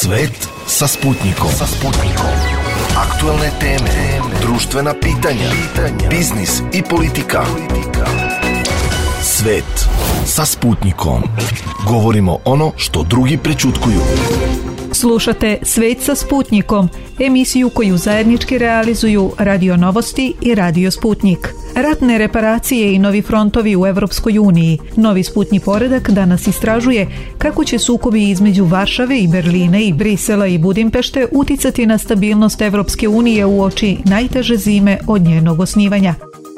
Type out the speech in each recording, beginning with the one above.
Svet sa Sputnikom. Aktuelne teme, društvena pitanja, biznis i politika. Svet sa Sputnikom. Govorimo ono što drugi prećutkuju. Slušate Svet sa Sputnikom, emisiju koju zajednički realizuju Radio Novosti i Radio Sputnik. Ratne reparacije i novi frontovi u Evropskoj uniji. Novi Sputnji poredak danas istražuje kako će sukobi između Varšave i Berlina i Brisela i Budimpešte uticati na stabilnost Evropske unije uoči najteže zime od njenog osnivanja.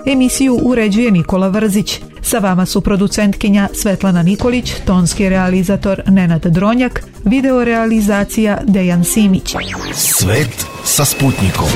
Emisiju uređuje Nikola Vrzić. Sa vama su producentkinja Svetlana Nikolić, tonski realizator Nenad Dronjak, videorealizacija Dejan Simić. Svet sa Sputnikom.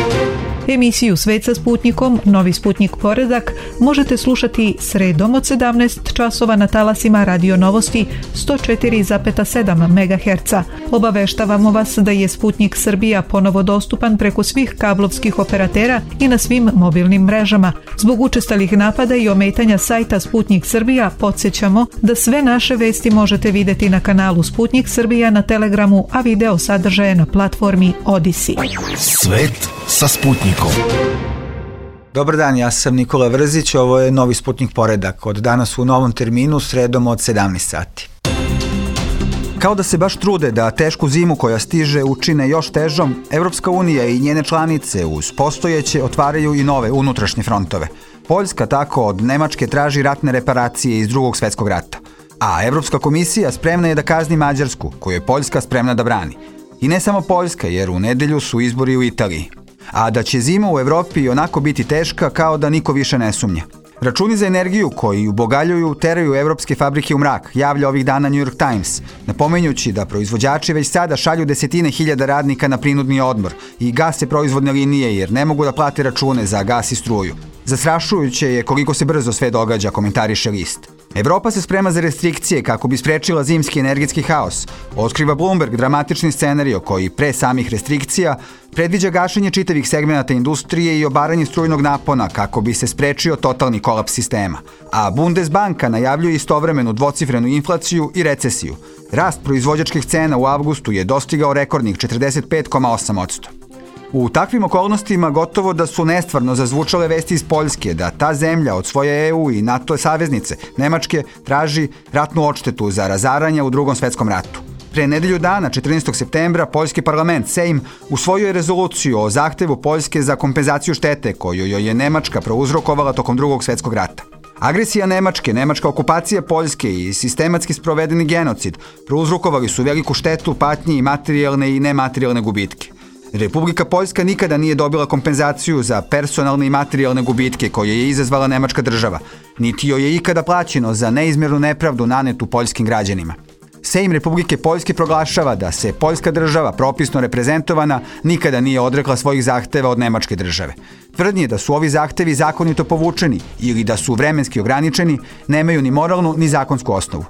Emisiju Svet sa Sputnikom, Novi Sputnik poredak, možete slušati sredom od 17 časova na talasima Radio Novosti 104,7 MHz. Obaveštavamo vas da je Sputnik Srbija ponovo dostupan preko svih kablovskih operatera i na svim mobilnim mrežama. Zbog učestalih napada i ometanja sajta Sputnik Srbija, podsjećamo da sve naše vesti možete vidjeti na kanalu Sputnik Srbija na Telegramu, a video sadržaje na platformi Odisi. Svet sa Sputnikom. Dobar dan, ja sam Nikola Vrzić, ovo je Novi Sputnik poredak. Od danas u novom terminu, sredom od 17 sati. Kao da se baš trude da tešku zimu koja stiže učine još težom, Evropska unija i njene članice uz postojeće otvaraju i nove unutrašnje frontove. Poljska tako od Nemačke traži ratne reparacije iz Drugog svjetskog rata. A Evropska komisija spremna je da kazni Mađarsku, koju je Poljska spremna da brani. I ne samo Poljska, jer u nedelju su izbori u Italiji. A da će zima u Evropi onako biti teška kao da niko više ne sumnja. Računi za energiju koji ubogaljuju teraju evropske fabrike u mrak, javlja ovih dana New York Times, napominjući da proizvođači već sada šalju desetine hiljada radnika na prinudni odmor i gase proizvodne linije jer ne mogu da plate račune za gas i struju. Zastrašujuće je koliko se brzo sve događa, komentariše list. Evropa se sprema za restrikcije kako bi sprečila zimski energetski haos. Otkriva Bloomberg dramatični scenario koji pre samih restrikcija predviđa gašenje čitavih segmenata industrije i obaranje strujnog napona kako bi se sprečio totalni kolaps sistema. A Bundesbanka najavljuje istovremenu dvocifrenu inflaciju i recesiju. Rast proizvođačkih cena u avgustu je dostigao rekordnih 45,8%. U takvim okolnostima gotovo da su nestvarno zazvučale vesti iz Poljske da ta zemlja od svoje EU i NATO saveznice Nemačke traži ratnu odštetu za razaranja u Drugom svjetskom ratu. Pre nedelju dana, 14. septembra, poljski parlament Sejm usvojio je rezoluciju o zahtevu Poljske za kompenzaciju štete koju joj je Nemačka prouzrokovala tokom Drugog svjetskog rata. Agresija Nemačke, nemačka okupacija Poljske i sistematski sprovedeni genocid prouzrokovali su veliku štetu, patnje i materijalne i nematerijalne gubitke. Republika Poljska nikada nije dobila kompenzaciju za personalne i materijalne gubitke koje je izazvala nemačka država, niti joj je ikada plaćeno za neizmjernu nepravdu nanetu poljskim građanima. Sejm Republike Poljske proglašava da se poljska država, propisno reprezentovana, nikada nije odrekla svojih zahteva od nemačke države. Tvrdnje da su ovi zahtevi zakonito povučeni ili da su vremenski ograničeni nemaju ni moralnu ni zakonsku osnovu.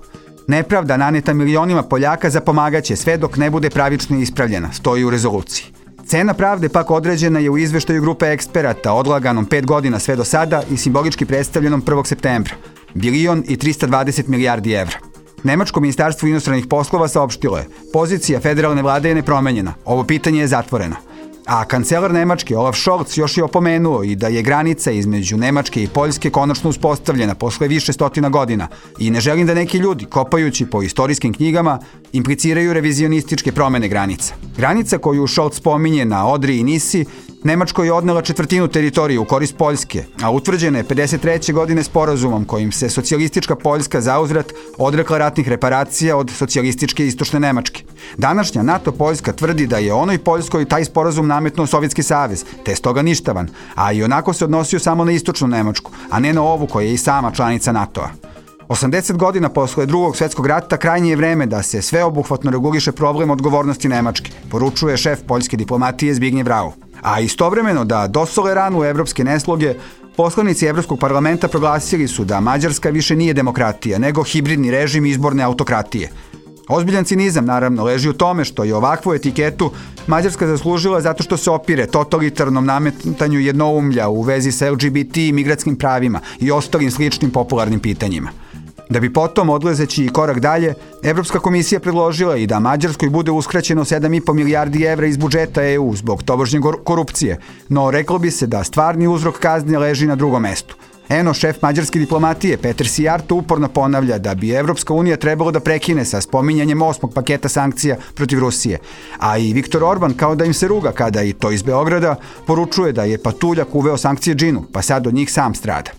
Nepravda naneta milionima Poljaka zapomagaće sve dok ne bude pravično ispravljena, stoji u rezoluciji. Cena pravde pak određena je u izveštaju grupe eksperata odlaganom 5 godina sve do sada i simbolički predstavljenom 1. septembra. 1,320 milijardi evra. Nemačko ministarstvo inostranih poslova saopštilo je: pozicija federalne vlade je nepromenjena, ovo pitanje je zatvoreno. A kancelar Nemačke Olaf Scholz još je opomenuo i da je granica između Nemačke i Poljske konačno uspostavljena posle više stotina godina i ne želim da neki ljudi, kopajući po istorijskim knjigama, impliciraju revizionističke promene granica. Granica koju Scholz spominje na Odri i Nisi, Nemačko je odnela četvrtinu teritorije u korist Poljske, a utvrđena je 53. godine sporazumom kojim se socijalistička Poljska zauzvrat odrekla ratnih reparacija od socijalističke istočne Nemačke. Današnja NATO Poljska tvrdi da je onoj Poljskoj taj sporazum nametnuo Sovjetski savez, te stoga ništavan, a i onako se odnosio samo na istočnu Nemačku, a ne na ovu koja je i sama članica NATO-a. 80 godina posle Drugog svjetskog rata krajnje je vreme da se sveobuhvatno reguliše problem odgovornosti Nemačke, poručuje šef poljske diplomatije Zbigniew Rau. A istovremeno da dosole ranu evropske nesloge, poslanici Evropskog parlamenta proglasili su da Mađarska više nije demokratija, nego hibridni režim izborne autokratije. Ozbiljan cinizam, naravno, leži u tome što je ovakvu etiketu Mađarska zaslužila zato što se opire totalitarnom nametanju jednoumlja u vezi sa LGBT i migratskim pravima i ostalim sličnim popularnim pitanjima. Da bi potom, odlazeći korak dalje, Evropska komisija predložila i da Mađarskoj bude uskraćeno 7,5 milijardi evra iz budžeta EU zbog tobožnje korupcije, no reklo bi se da stvarni uzrok kazne leži na drugom mestu. Eno, šef mađarske diplomatije Peter Sijarto uporno ponavlja da bi Evropska unija trebalo da prekine sa spominjanjem 8. paketa sankcija protiv Rusije, a i Viktor Orban kao da im se ruga kada i to iz Beograda poručuje da je patuljak uveo sankcije džinu, pa sad od njih sam strada.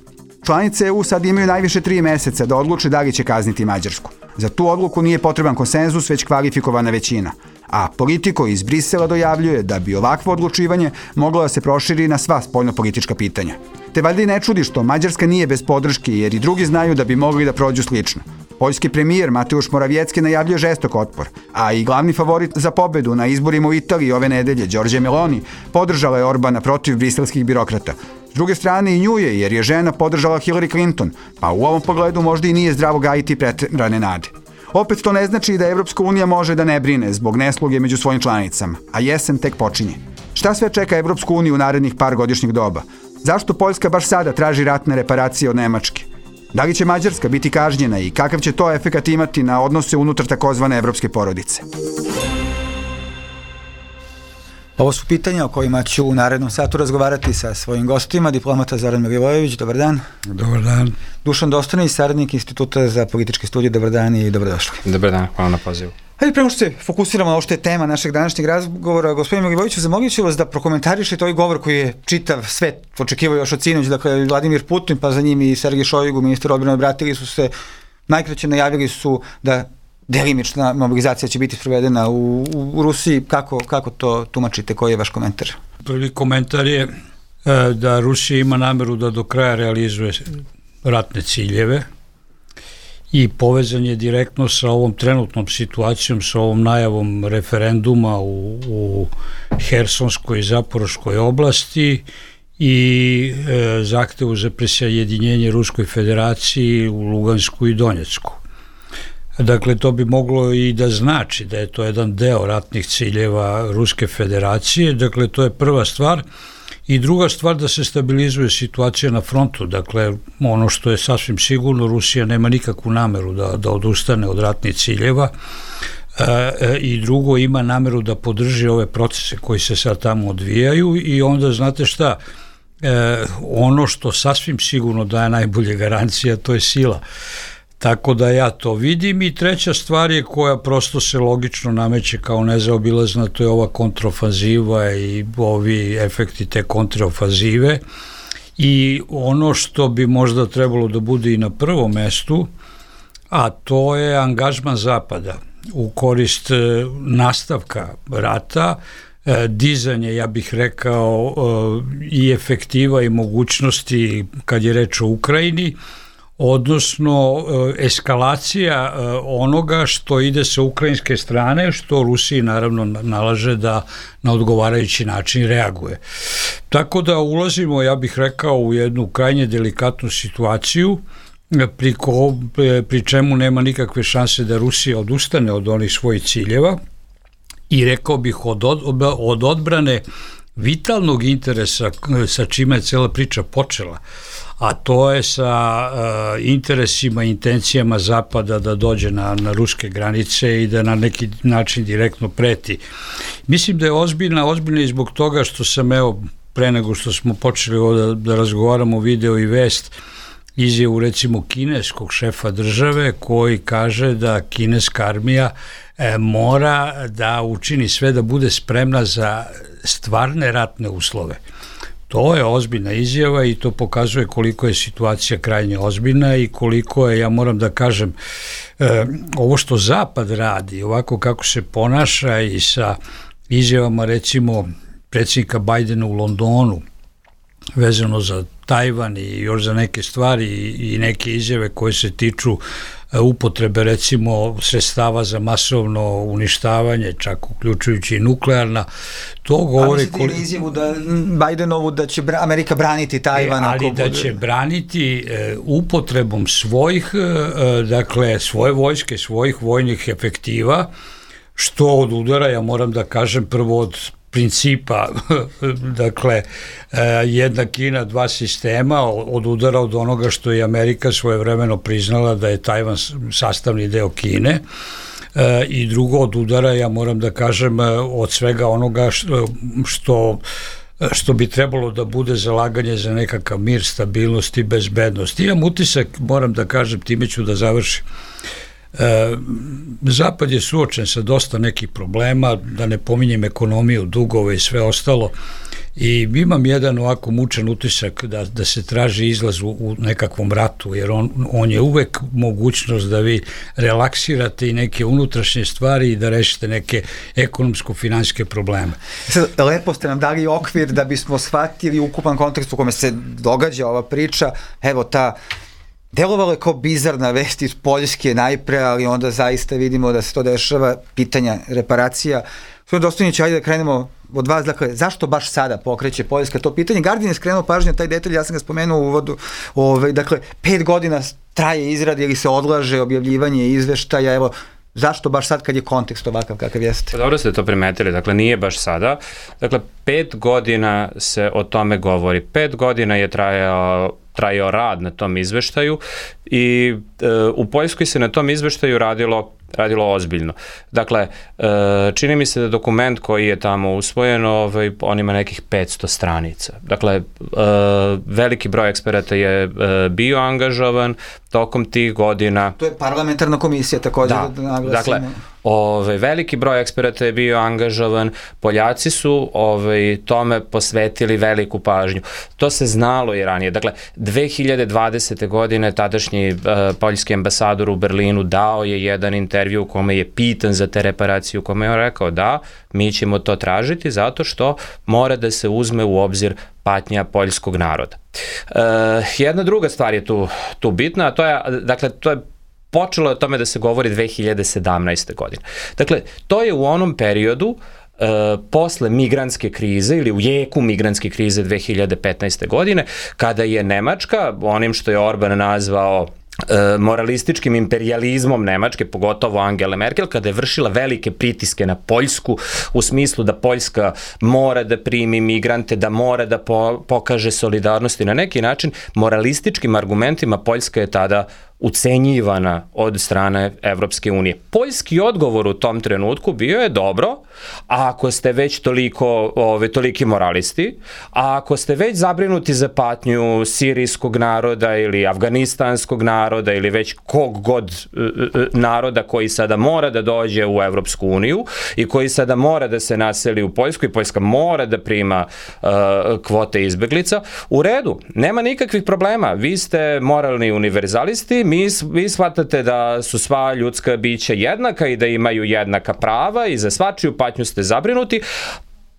Članice EU sad imaju najviše 3 meseca da odluče da li će kazniti Mađarsku. Za tu odluku nije potreban konsenzus, već kvalifikovana većina. A Politico iz Brisela dojavljuje da bi ovakvo odlučivanje moglo da se proširi na sva spoljnopolitička pitanja. Te valjda i ne čudi što Mađarska nije bez podrške, jer i drugi znaju da bi mogli da prođu slično. Poljski premijer Mateusz Morawiecki najavljuje žestok otpor, a i glavni favorit za pobedu na izborima u Italiji ove nedelje, Giorgia Meloni, podržala je Orbana protiv briselskih birokrata. S druge strane i nju je, jer je žena podržala Hillary Clinton, pa u ovom pogledu možda i nije zdravo gajiti preterane nade. Opet to ne znači da Evropska unija može da ne brine zbog nesluge među svojim članicama, a jesen tek počinje. Šta sve čeka Evropsku uniju u narednih par godišnjih doba? Zašto Poljska baš sada traži ratne reparacije od Nemačke? Da li će Mađarska biti kažnjena i kakav će to efekat imati na odnose unutar takozvane evropske porodice? Ovo su pitanja o kojima ću u narednom satu razgovarati sa svojim gostima, diplomata Zoran Milivojević, dobar dan. Dobar dan. Dušan Dostojnić, saradnik Instituta za političke studije, dobar dan i dobrodošli. Dobar dan, hvala na pozivu. Hajde, prema što se fokusiramo na ovo što je tema našeg današnjeg razgovora, gospodin Milivojeviću, zamolit ću vas da prokomentarišete ovaj govor koji je čitav svet očekivao još od sinoć, dakle Vladimir Putin, pa za njim i Sergej Šojgu, ministar odbrane, obratili su se, najkraće najavili su da delimična mobilizacija će biti sprovedena u Rusiji. Kako to tumačite? Koji je vaš komentar? Prvi komentar je da Rusija ima nameru da do kraja realizuje ratne ciljeve i povezan je direktno sa ovom trenutnom situacijom, sa ovom najavom referenduma u Hersonskoj i Zaporoškoj oblasti i zahtevu za prisjedinjenje Ruskoj federaciji u Lugansku i Donjecku. Dakle, to bi moglo i da znači da je to jedan deo ratnih ciljeva Ruske federacije, dakle, to je prva stvar. I druga stvar, da se stabilizuje situacija na frontu, dakle, ono što je sasvim sigurno, Rusija nema nikakvu nameru da odustane od ratnih ciljeva i drugo, ima nameru da podrži ove procese koji se sad tamo odvijaju i onda, znate šta, ono što sasvim sigurno daje najbolje garancija, to je sila. Tako da ja to vidim i treća stvar je koja prosto se logično nameće kao nezaobilazna, to je ova kontraofanziva i ovi efekti te kontraofanzive i ono što bi možda trebalo da bude i na prvom mestu, a to je angažman Zapada u korist nastavka rata, dizanje, ja bih rekao, i efektiva i mogućnosti kad je reč o Ukrajini, odnosno eskalacija onoga što ide sa ukrajinske strane, što Rusiji naravno nalaže da na odgovarajući način reaguje. Tako da ulazimo, ja bih rekao, u jednu krajnje delikatnu situaciju, pri čemu nema nikakve šanse da Rusija odustane od onih svojih ciljeva i rekao bih od odbrane vitalnog interesa sa čime je cela priča počela, a to je sa interesima i intencijama Zapada da dođe na ruske granice i da na neki način direktno preti. Mislim da je ozbiljna i zbog toga što sam, evo, pre nego što smo počeli ovdje da razgovaramo video i vest, izjavu recimo kineskog šefa države koji kaže da kineska armija mora da učini sve da bude spremna za stvarne ratne uslove. To je ozbiljna izjava i to pokazuje koliko je situacija krajnje ozbiljna i koliko je, ja moram da kažem, ovo što Zapad radi, ovako kako se ponaša i sa izjavama recimo predsjednika Bajdena u Londonu vezano za Tajvan i još za neke stvari i neke izjave koje se tiču upotrebe recimo sredstava za masovno uništavanje, čak uključujući i nuklearna, to govori... A mislite izjavu da Bajdenovu da će Amerika braniti Tajvan? Ali da će braniti upotrebom svojih, dakle, svoje vojske, svojih vojnih efektiva, što od udara, ja moram da kažem, prvo od principa, dakle, jedna Kina, dva sistema, odudara od onoga što je Amerika svojevremeno priznala da je Tajvan sastavni deo Kine, i drugo od udara, ja moram da kažem, od svega onoga što bi trebalo da bude zalaganje za nekakav mir, stabilnost i bezbednost. Imam utisak, moram da kažem, time ću da završim. Zapad je suočen sa dosta nekih problema, da ne pominjem ekonomiju, dugove i sve ostalo, i imam jedan ovako mučan utisak da se traži izlaz u nekakvom ratu, jer on je uvek mogućnost da vi relaksirate i neke unutrašnje stvari i da rešite neke ekonomsko-finansijske probleme. Lepo ste nam dali okvir da bismo shvatili ukupan kontekst u kome se događa ova priča. Evo, delovalo je kao bizarna vest iz Poljske najpre, ali onda zaista vidimo da se to dešava, pitanja reparacija. Gospodin Dostojnić, ajde da krenemo od vas, dakle, zašto baš sada pokreće Poljska to pitanje? Guardian je skrenuo pažnju na taj detalj, ja sam ga spomenuo u uvodu, dakle, 5 godina traje izrad ili se odlaže objavljivanje izveštaja, evo, zašto baš sad kad je kontekst ovakav kakav jeste? Dobro ste to primetili, dakle nije baš sada, dakle 5 godina se o tome govori, 5 godina je trajao rad na tom izveštaju i u Poljskoj se na tom izveštaju radilo ozbiljno. Dakle, čini mi se da dokument koji je tamo usvojen, on ima nekih 500 stranica. Dakle, veliki broj eksperata je bio angažovan tokom tih godina. To je parlamentarna komisija također da naglasimo. Dakle, veliki broj eksperata je bio angažovan, Poljaci su tome posvetili veliku pažnju. To se znalo i ranije. Dakle, 2020. godine tadašnji poljski ambasador u Berlinu dao je jedan intervju u kome je pitan za te reparacije, u kome je on rekao da, mi ćemo to tražiti zato što mora da se uzme u obzir patnja poljskog naroda. Jedna druga stvar je tu bitna, a to je počelo o tome da se govori 2017. godine. Dakle, to je u onom periodu posle migrantske krize ili u jeku migrantske krize 2015. godine, kada je Nemačka, onim što je Orban nazvao moralističkim imperijalizmom Nemačke, pogotovo Angele Merkel, kada je vršila velike pritiske na Poljsku u smislu da Poljska mora da primi migrante, da mora da pokaže solidarnost i na neki način moralističkim argumentima Poljska je tada ucenjivana od strane Evropske unije. Poljski odgovor u tom trenutku bio je dobro, a ako ste već toliki moralisti, a ako ste već zabrinuti za patnju sirijskog naroda ili afganistanskog naroda ili već kog god naroda koji sada mora da dođe u Evropsku uniju i koji sada mora da se naseli u Poljsku i Poljska mora da prima kvote izbeglica, u redu, nema nikakvih problema, vi ste moralni univerzalisti, vi shvatate da su sva ljudska bića jednaka i da imaju jednaka prava i za svačiju patnju ste zabrinuti,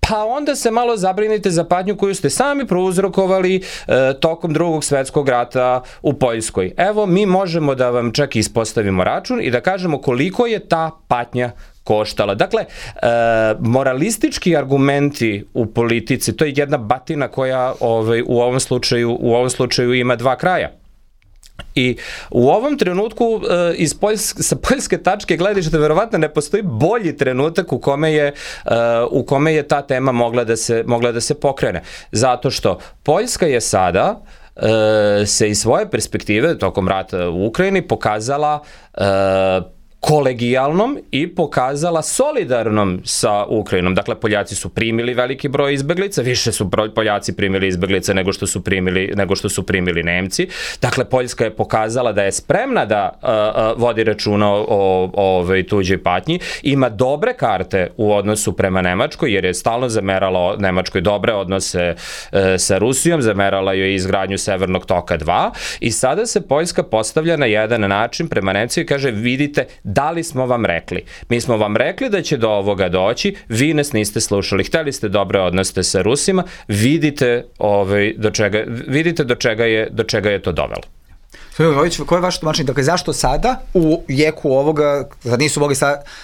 pa onda se malo zabrinite za patnju koju ste sami prouzrokovali tokom Drugog svetskog rata u Poljskoj. Evo, mi možemo da vam čak ispostavimo račun i da kažemo koliko je ta patnja koštala. Dakle, moralistički argumenti u politici, to je jedna batina koja u ovom slučaju ima dva kraja. I u ovom trenutku sa poljske tačke gledišta verovatno ne postoji bolji trenutak u kome je ta tema mogla da se pokrene. Zato što Poljska je sada se iz svoje perspektive tokom rata u Ukrajini pokazala kolegijalnom i pokazala solidarnom sa Ukrajinom. Dakle, Poljaci su primili veliki broj izbeglica, više su Poljaci primili izbeglica nego što su primili Nemci. Dakle, Poljska je pokazala da je spremna da vodi računa o tuđoj patnji, ima dobre karte u odnosu prema Nemačkoj, jer je stalno zamerala Nemačkoj dobre odnose sa Rusijom, zamerala joj izgradnju Severnog toka 2 i sada se Poljska postavlja na jedan način prema Nemcima i kaže, vidite, da li smo vam rekli? Mi smo vam rekli da će do ovoga doći, vi nas niste slušali, hteli ste dobre odnose sa Rusima, vidite do čega je to dovelo. Koje je vaše tumačenje? Dakle, zašto sada u jeku ovoga, sad nisu mogli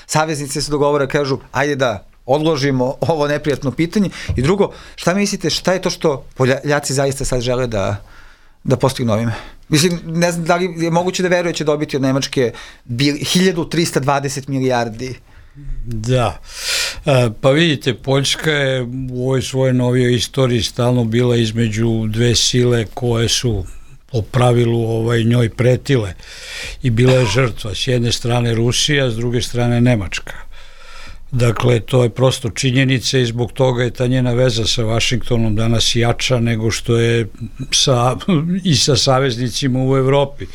saveznici se dogovore, kažu, ajde da odložimo ovo neprijatno pitanje. I drugo, šta mislite, šta je to što Poljaci zaista sad žele da postignu ovime? Mislim, ne znam da li je moguće da veruje će dobiti od Nemačke 1320 milijardi Da, pa vidite, Poljska je u ovoj svojoj novijoj istoriji stalno bila između dve sile koje su po pravilu njoj pretile i bila je žrtva. S jedne strane Rusija, s druge strane Nemačka. Dakle, to je prosto činjenica i zbog toga je ta njena veza sa Vašingtonom danas jača nego što je i sa saveznicima u Evropi.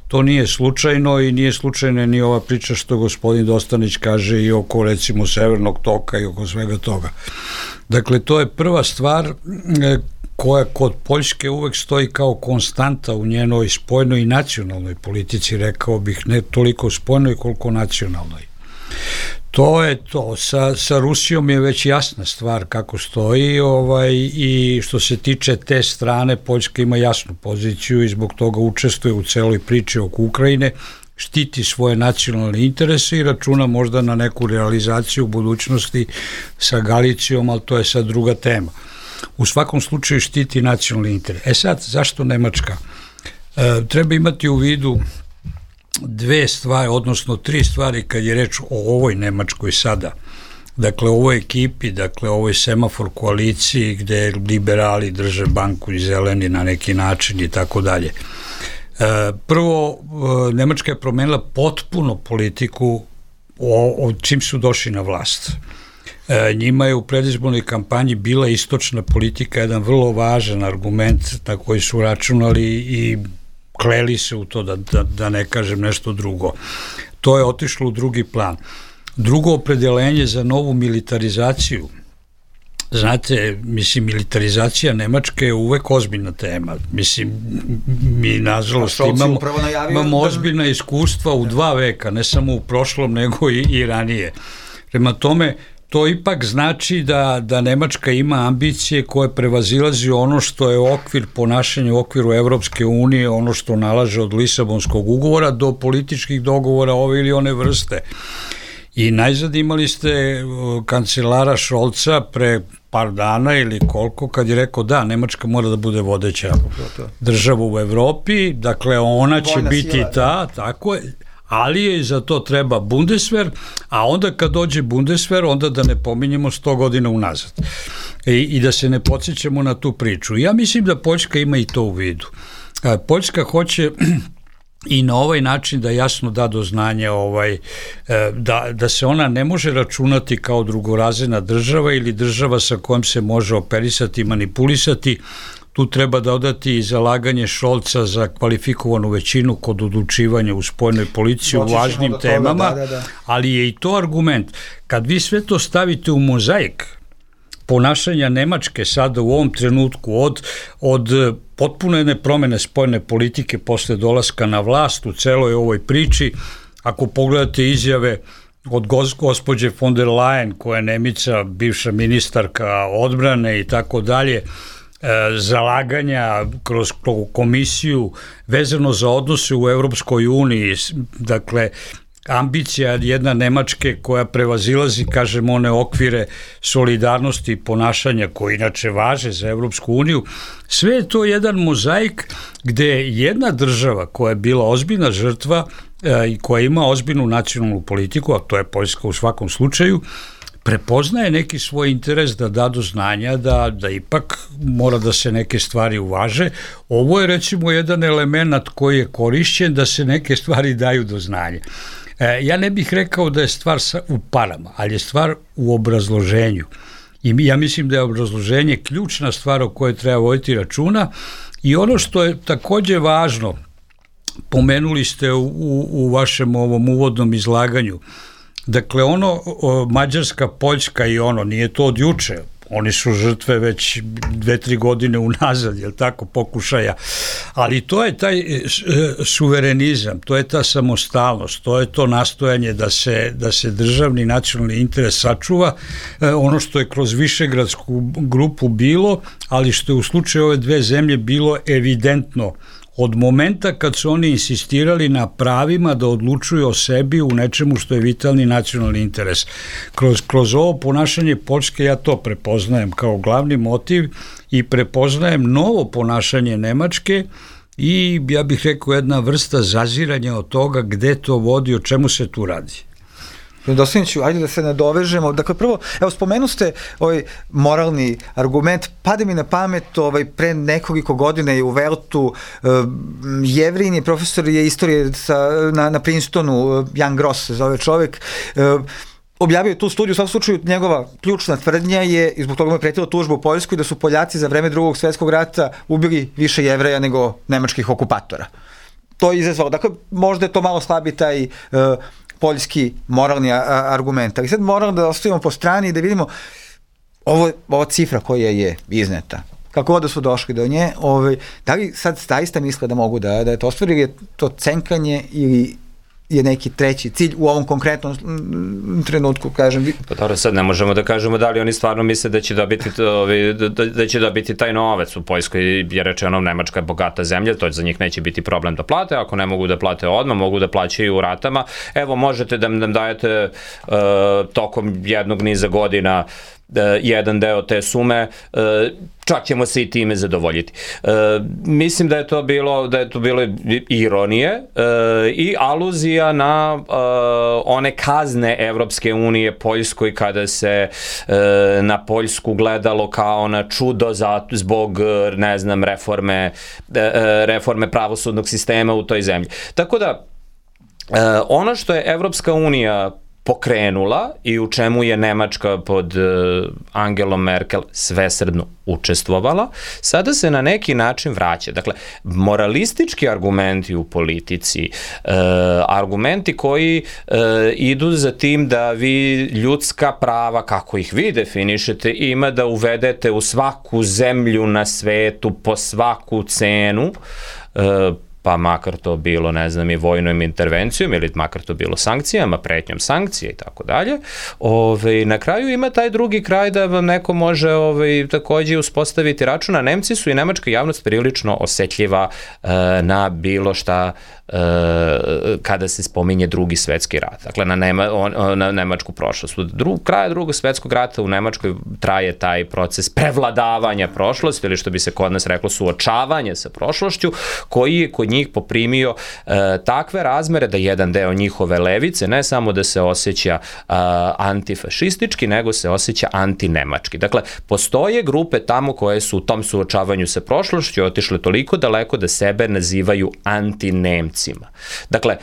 To nije slučajno i nije slučajna ni ova priča što gospodin Dostanić kaže i oko recimo Severnog toka i oko svega toga. Dakle, to je prva stvar koja kod Poljske uvek stoji kao konstanta u njenoj spoljnoj i nacionalnoj politici, rekao bih, ne toliko spoljnoj koliko nacionalnoj. To je to. Sa Rusijom je već jasna stvar kako stoji i što se tiče te strane, Poljska ima jasnu poziciju i zbog toga učestvuje u celoj priči oko Ukrajine, štiti svoje nacionalne interese i računa možda na neku realizaciju u budućnosti sa Galicijom, ali to je sad druga tema. U svakom slučaju štiti nacionalni interes. Sad, zašto Nemačka? Treba imati u vidu dve stvari, odnosno tri stvari kad je reč o ovoj Nemačkoj sada. Dakle, ovoj ekipi, dakle, ovoj semafor koaliciji gde liberali drže banku i zeleni na neki način i tako dalje. Prvo, Nemačka je promenila potpuno politiku od čim su došli na vlast. Njima je u predizbornoj kampanji bila istočna politika jedan vrlo važan argument na koji su računali i kleli se u to, da ne kažem nešto drugo. To je otišlo u drugi plan. Drugo opredeljenje za novu militarizaciju. Znate, mislim, militarizacija Nemačke je uvek ozbiljna tema. Mislim, mi nažalost imamo ozbiljna iskustva u 2 veka, ne samo u prošlom, nego i ranije. Prema tome, to ipak znači da Nemačka ima ambicije koje prevazilazi ono što je okvir ponašanja u okviru Evropske unije, ono što nalaže od Lisabonskog ugovora do političkih dogovora ove ili one vrste. I najzad imali ste kancelara Šolca pre par dana ili koliko, kad je rekao da, Nemačka mora da bude vodeća država u Evropi, dakle ona će biti ta, tako je, ali je za to treba Bundeswehr, a onda kad dođe Bundeswehr, onda da ne pominjemo 100 godina unazad i da se ne podsjećamo na tu priču. Ja mislim da Poljska ima i to u vidu. Poljska hoće i na ovaj način da jasno da do znanja da se ona ne može računati kao drugorazredna država ili država sa kojom se može operisati i manipulisati. Tu treba dodati i zalaganje Šolca za kvalifikovanu većinu kod odlučivanja u spoljnoj policiji u važnim temama, ali je i to argument. Kad vi sve to stavite u mozaik ponašanja Nemačke sada u ovom trenutku od potpuno jedne promene spoljne politike posle dolaska na vlast u celoj ovoj priči, ako pogledate izjave od gospođe von der Leyen, koja je Nemica, bivša ministarka odbrane i tako dalje, zalaganja kroz komisiju vezano za odnose u Evropskoj uniji, dakle ambicija jedna Nemačke koja prevazilazi, kažem, one okvire solidarnosti i ponašanja koji inače važe za Evropsku uniju, sve je to jedan mozaik gde jedna država koja je bila ozbiljna žrtva i koja ima ozbiljnu nacionalnu politiku, a to je Poljska u svakom slučaju, prepoznaje neki svoj interes da do znanja da ipak mora da se neke stvari uvaže. Ovo je recimo jedan element koji je korišćen da se neke stvari daju do znanja. Ja ne bih rekao da je stvar u parama, ali je stvar u obrazloženju. I ja mislim da je obrazloženje ključna stvar o kojoj treba voditi računa i ono što je takođe važno, pomenuli ste u vašem ovom uvodnom izlaganju, dakle Mađarska, Poljska i nije to od juče, oni su žrtve već 2-3 godine unazad, je li tako, pokušaja, ali to je taj suverenizam, to je ta samostalnost, to je to nastojanje da se državni nacionalni interes sačuva, ono što je kroz Višegradsku grupu bilo, ali što je u slučaju ove dve zemlje bilo evidentno od momenta kad su oni insistirali na pravima da odlučuju o sebi u nečemu što je vitalni nacionalni interes. Kroz ovo ponašanje Poljske ja to prepoznajem kao glavni motiv i prepoznajem novo ponašanje Nemačke i ja bih rekao jedna vrsta zaziranja od toga gde to vodi, o čemu se tu radi. Dostaniću, ajde da se nadovežemo. Dakle, prvo, evo, spomenu ste ovaj moralni argument, pade mi na pamet, pre nekoliko godina je u Veltu Jevrin je profesor je istorije na Princetonu, Jan Gross se zove čovek, objavio je tu studiju, u svakom slučaju njegova ključna tvrdnja je, i zbog toga mu je pretila tužba u Poljskoj, da su Poljaci za vreme Drugog svjetskog rata ubili više Jevreja nego nemačkih okupatora. To je izazvalo, dakle, možda je to malo slabi taj poljski moralni argument, ali sad moramo da ostavimo po strani i da vidimo ova cifra koja je izneta. Kako god da su došli do nje, da li sad zaista misle da mogu da to ostvari, ili je to cenkanje ili je neki treći cilj u ovom konkretnom trenutku, kažem. Pa dobro, sad ne možemo da kažemo da li oni stvarno misle da će dobiti taj novac. U Poljskoj je rečeno Nemačka je bogata zemlja, to za njih neće biti problem da plate, ako ne mogu da plate odmah, mogu da plaćaju u ratama. Evo, možete da nam dajete tokom jednog niza godina jedan deo te sume, čak ćemo se i time zadovoljiti. Mislim da je to bilo ironije i aluzija na one kazne Evropske unije Poljskoj kada se na Poljsku gledalo kao na čudo zbog, ne znam, reforme pravosudnog sistema u toj zemlji. Tako da, ono što je Evropska unija pokrenula i u čemu je Nemačka pod Angelom Merkel svesrdno učestvovala, sada se na neki način vraća. Dakle, moralistički argumenti u politici, argumenti koji idu za tim da vi ljudska prava, kako ih vi definišete, ima da uvedete u svaku zemlju na svetu po svaku cenu, pa makar to bilo, ne znam, i vojnom intervencijom ili makar to bilo sankcijama, pretnjom sankcije i tako dalje. Na kraju ima taj drugi kraj da vam neko može takođe uspostaviti račun, a Nemci su i nemačka javnost prilično osetljiva na bilo šta kada se spominje Drugi svetski rat. Dakle, na nemačku prošlost. Kraja Drugog svetskog rata u Nemačkoj traje taj proces prevladavanja prošlosti, ili što bi se kod nas reklo suočavanje sa prošlošću, koji je kod njih poprimio takve razmere da jedan deo njihove levice ne samo da se osjeća antifašistički, nego se osjeća antinemački. Dakle, postoje grupe tamo koje su u tom suočavanju sa prošlošću otišle toliko daleko da sebe nazivaju antinemcima. Dakle,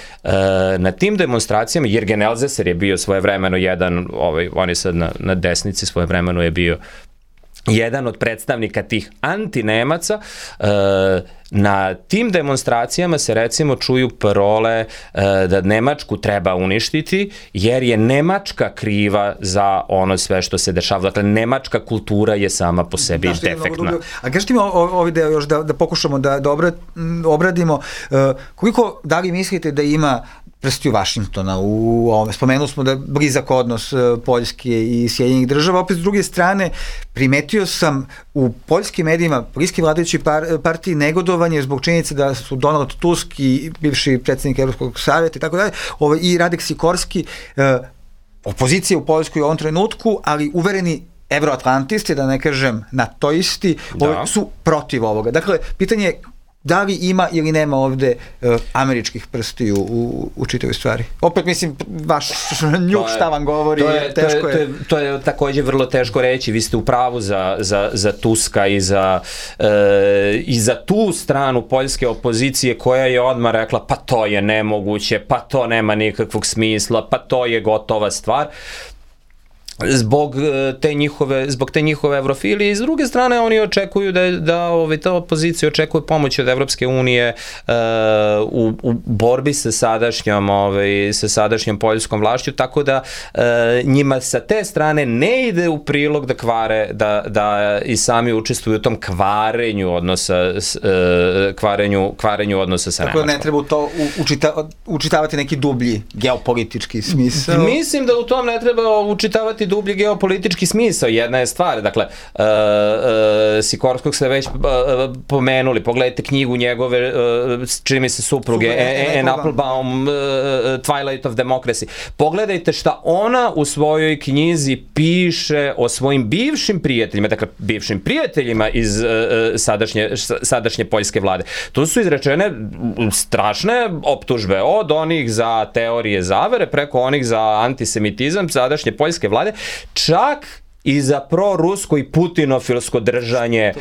na tim demonstracijama, Jürgen Elsässer je bio svojevremeno jedan, on je sad na desnici, svojevremeno je bio jedan od predstavnika tih antinemaca. Na tim demonstracijama se recimo čuju parole da Nemačku treba uništiti jer je Nemačka kriva za ono sve što se dešava. Dakle, nemačka kultura je sama po sebi defektna. A kažete mi ovaj deo još da pokušamo da obradimo. Koliko, da li mislite da ima prstiju Vašingtona u ovome? Spomenuli smo da je blizak odnos Poljske i Sjedinjenih država. Opet, s druge strane, primetio sam u poljskim medijima, bliski vladajući partiji, negodovanje zbog činjenice da su Donald Tusk i bivši predsjednik Evropskog savjeta i tako dalje, i Radek Sikorski, opozicija u Poljskoj u ovom trenutku, ali uvereni evroatlantisti, da ne kažem natoisti, su protiv ovoga. Dakle, pitanje je da li ima ili nema ovde američkih prstiju u čitavoj stvari? Opet, mislim, vaš njuk šta vam govori, teško je. To je takođe vrlo teško reći. Vi ste u pravu za Tuska i za tu stranu poljske opozicije koja je odmah rekla pa to je nemoguće, pa to nema nikakvog smisla, pa to je gotova stvar. Zbog te njihove evrofilije. I s druge strane oni očekuju da ta opozicija očekuje pomoć od Evropske unije u borbi sa sadašnjom poljskom vlašću, tako da njima sa te strane ne ide u prilog da kvare, da i sami učestvuju u tom kvarenju odnosa sa Nemačkom. Tako da ne treba u to učitavati neki dublji geopolitički smisao? Mislim da u tom ne treba učitavati imati dublji geopolitički smisao. Jedna je stvar, dakle, Sikorskog ste već pomenuli, pogledajte knjigu njegove, čini mi se supruge, Anne Applebaum, Twilight of Democracy. Pogledajte šta ona u svojoj knjizi piše o svojim bivšim prijateljima, dakle, bivšim prijateljima iz sadašnje poljske vlade. Tu su izrečene strašne optužbe, od onih za teorije zavere, preko onih za antisemitizam sadašnje poljske vlade, čak i za prorusko i putinofilsko držanje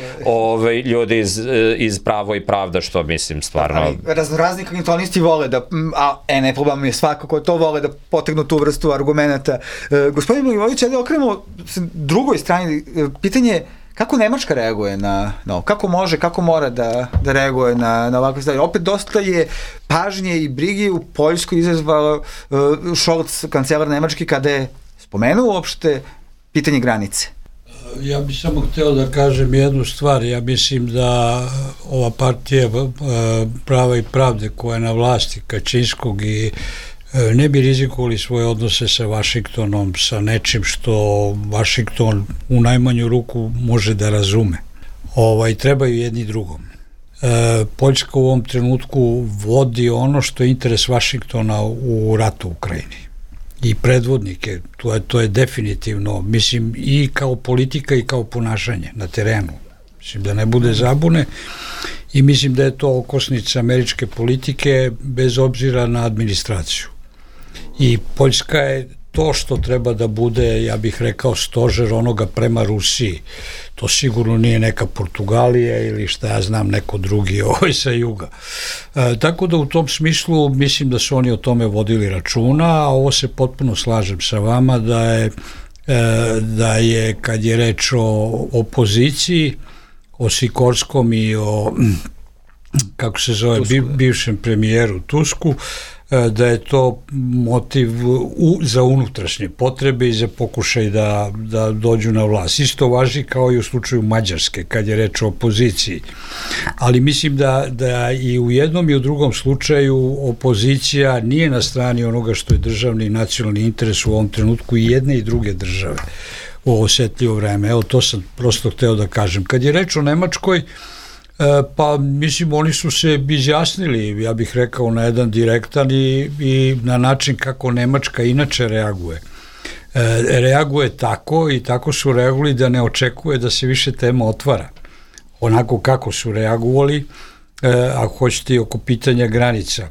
ljudi iz Pravo i pravda, što mislim stvarno... Ali razni kognitonisti vole da, ne problem je svakako to, vole da potegnu tu vrstu argumenta. Gospodin Milivojević, ajde okrenemo drugoj strani, pitanje kako Nemačka reaguje na ovo? Kako mora da reaguje na ovakve stvari? Opet dosta je pažnje i brige u Poljskoj izazvalo Scholz, kancelar Nemački, kada je spomenuo uopšte pitanje granice. Ja bih samo hteo da kažem jednu stvar. Ja mislim da ova partija Prava i pravde koja je na vlasti Kačinskog i ne bi rizikovali svoje odnose sa Vašingtonom, sa nečim što Vašington u najmanju ruku može da razume. Trebaju jedni drugom. Poljska u ovom trenutku vodi ono što je interes Vašingtona u ratu u Ukrajini. I predvodnike, to je definitivno, mislim, i kao politika i kao ponašanje na terenu. Mislim da ne bude zabune i mislim da je to okosnica američke politike bez obzira na administraciju. I Poljska je to što treba da bude, ja bih rekao, stožer onoga prema Rusiji. To sigurno nije neka Portugalija ili šta ja znam, neko drugi sa juga. Tako da u tom smislu mislim da su oni o tome vodili računa, a ovo se potpuno slažem sa vama da je kad je reč o opoziciji, o Sikorskom i o kako se zove, bivšem premijeru Tusku, da je to motiv za unutrašnje potrebe i za pokušaj da dođu na vlast. Isto važi kao i u slučaju Mađarske, kad je reč o opoziciji. Ali mislim da i u jednom i u drugom slučaju opozicija nije na strani onoga što je državni i nacionalni interes u ovom trenutku i jedne i druge države u ovo osetljivo vreme. Evo, to sam prosto hteo da kažem. Kad je reč o Nemačkoj, pa mislim oni su se izjasnili, ja bih rekao, na jedan direktan i na način kako Nemačka inače reaguje. Reaguje tako i tako su reagovali da ne očekuje da se više tema otvara. Onako kako su reagovali, ako hoćete, oko pitanja granica.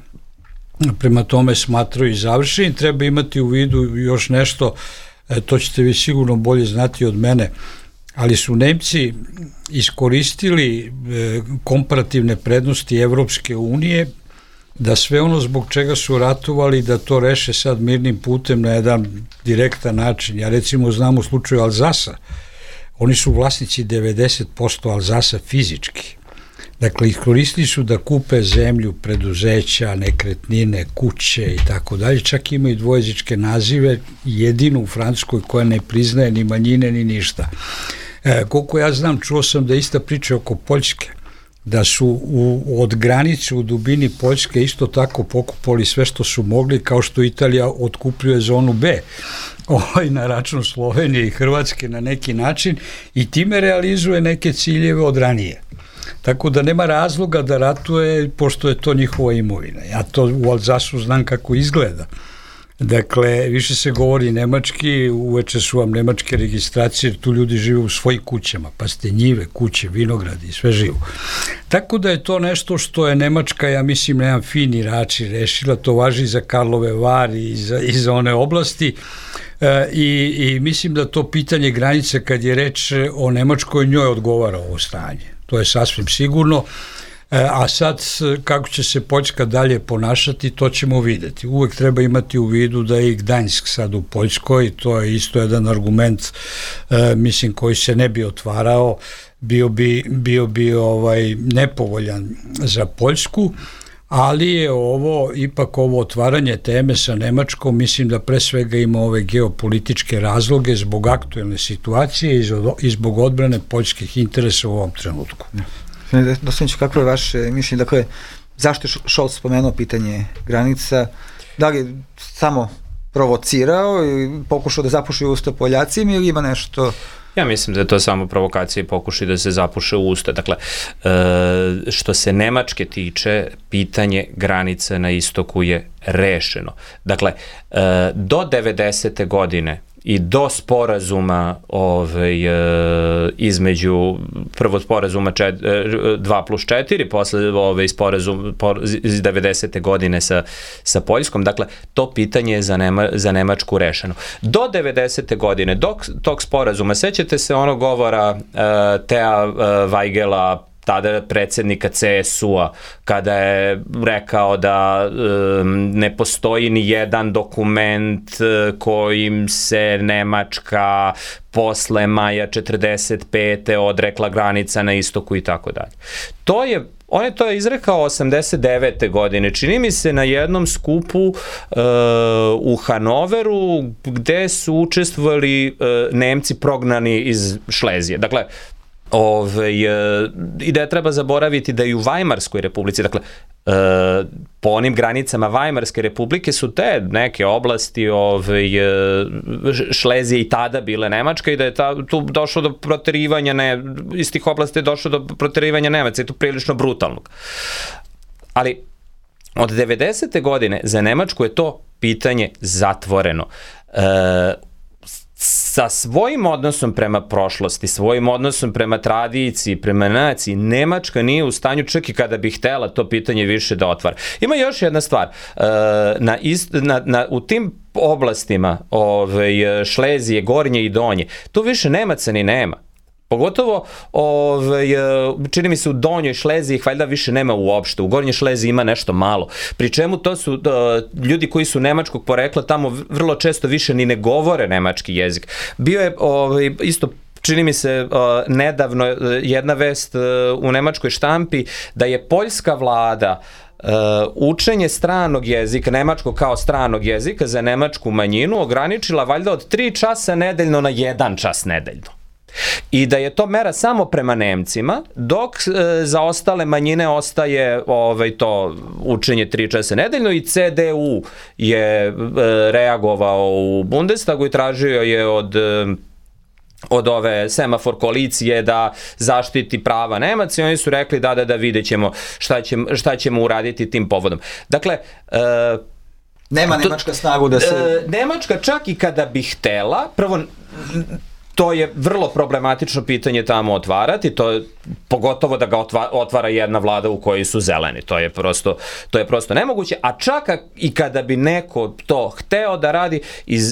Prema tome smatraju i završeni. Treba imati u vidu još nešto, to ćete vi sigurno bolje znati od mene, ali su Nemci iskoristili komparativne prednosti Evropske unije da sve ono zbog čega su ratovali da to reše sad mirnim putem na jedan direktan način. Ja recimo znam u slučaju Alzasa, oni su vlasnici 90% Alzasa fizički. Dakle, iskoristili su da kupe zemlju, preduzeća, nekretnine, kuće i tako dalje. Čak imaju dvojezičke nazive, jedino u Francuskoj koja ne priznaje ni manjine ni ništa. Koliko ja znam, čuo sam da ista priča oko Poljske, da su od granice u dubini Poljske isto tako pokupali sve što su mogli, kao što Italija otkupljuje zonu B na račun Slovenije i Hrvatske na neki način i time realizuje neke ciljeve od ranije. Tako da nema razloga da ratuje, pošto je to njihova imovina. Ja to u Alzasu znam kako izgleda. Dakle, više se govori nemački, uveče su vam nemačke registracije, jer tu ljudi žive u svojim kućama, pa ste njive, kuće, vinogradi i sve živo. Tako da je to nešto što je Nemačka, ja mislim, na jedan fini način rešila, to važi za Karlove Vari i za one oblasti, i mislim da to pitanje granice, kad je reč o Nemačkoj, njoj odgovara ovo stanje. To je sasvim sigurno. A sad, kako će se Poljska dalje ponašati, to ćemo videti. Uvek treba imati u vidu da je i Gdanjsk sad u Poljskoj, to je isto jedan argument, mislim, koji se ne bi otvarao, bio bi nepovoljan za Poljsku, ali je ipak ovo otvaranje teme sa Nemačkom, mislim da pre svega ima ove geopolitičke razloge zbog aktuelne situacije i zbog odbrane poljskih interesa u ovom trenutku. Dostaniću, kako je vaše mišljenje? Dakle, zašto je Scholz spomenuo pitanje granica? Da li samo provocirao i pokušao da zapuši usta Poljacima ili ima nešto... Ja mislim da je to samo provokacija i pokušaj da se zapuše u usta. Dakle, što se Nemačke tiče, pitanje granica na istoku je rešeno. Dakle, do 90. godine i do sporazuma između prvo sporazuma 2+4, posle sporazum iz 90. godine sa Poljskom, dakle to pitanje je za Nemačku rešeno. Do 90. godine, do tog sporazuma, sećate se onog govora Tea Weigela, tada predsjednika CSU-a, kada je rekao da ne postoji ni jedan dokument kojim se Nemačka posle maja 45. odrekla granica na istoku i tako dalje. On je to izrekao 89. godine, čini mi se na jednom skupu u Hanoveru gde su učestvovali Nemci prognani iz Šlezije. Dakle, i da je treba zaboraviti da i u Vajmarskoj republici, dakle, po onim granicama Vajmarske republike su te neke oblasti Šlezije i tada bile Nemačka i da je tu došlo do proterivanja, iz tih oblasti je došlo do proterivanja Nemaca i to prilično brutalnog. Ali od 90. godine za Nemačku je to pitanje zatvoreno. Sa svojim odnosom prema prošlosti, svojim odnosom prema tradiciji, prema naciji, Nemačka nije u stanju čak i kada bi htela to pitanje više da otvara. Ima još jedna stvar, u tim oblastima Šlezije, Gornje i Donje, tu više Nemaca ni nema. Pogotovo, čini mi se u Donjoj Šleziji ih valjda više nema uopšte, u Gornjoj Šleziji ima nešto malo. Pri čemu to su ljudi koji su nemačkog porekla tamo vrlo često više ni ne govore nemački jezik. Bio je isto čini mi se nedavno jedna vest u nemačkoj štampi da je poljska vlada učenje stranog jezika, nemačkog kao stranog jezika za nemačku manjinu ograničila valjda od 3 časa nedeljno na 1 čas nedeljno. I da je to mera samo prema Nemcima, dok za ostale manjine ostaje to učenje 3 časa nedeljno i CDU je reagovao u Bundestagu i tražio je od ove semafor koalicije da zaštiti prava Nemaca i oni su rekli da vidjet ćemo šta ćemo uraditi tim povodom. Dakle, nema Nemačka snagu da se... Nemačka čak i kada bi htela, prvo... To je vrlo problematično pitanje tamo otvarati, pogotovo da ga otvara jedna vlada u kojoj su zeleni. To je prosto nemoguće, a čak i kada bi neko to hteo da radi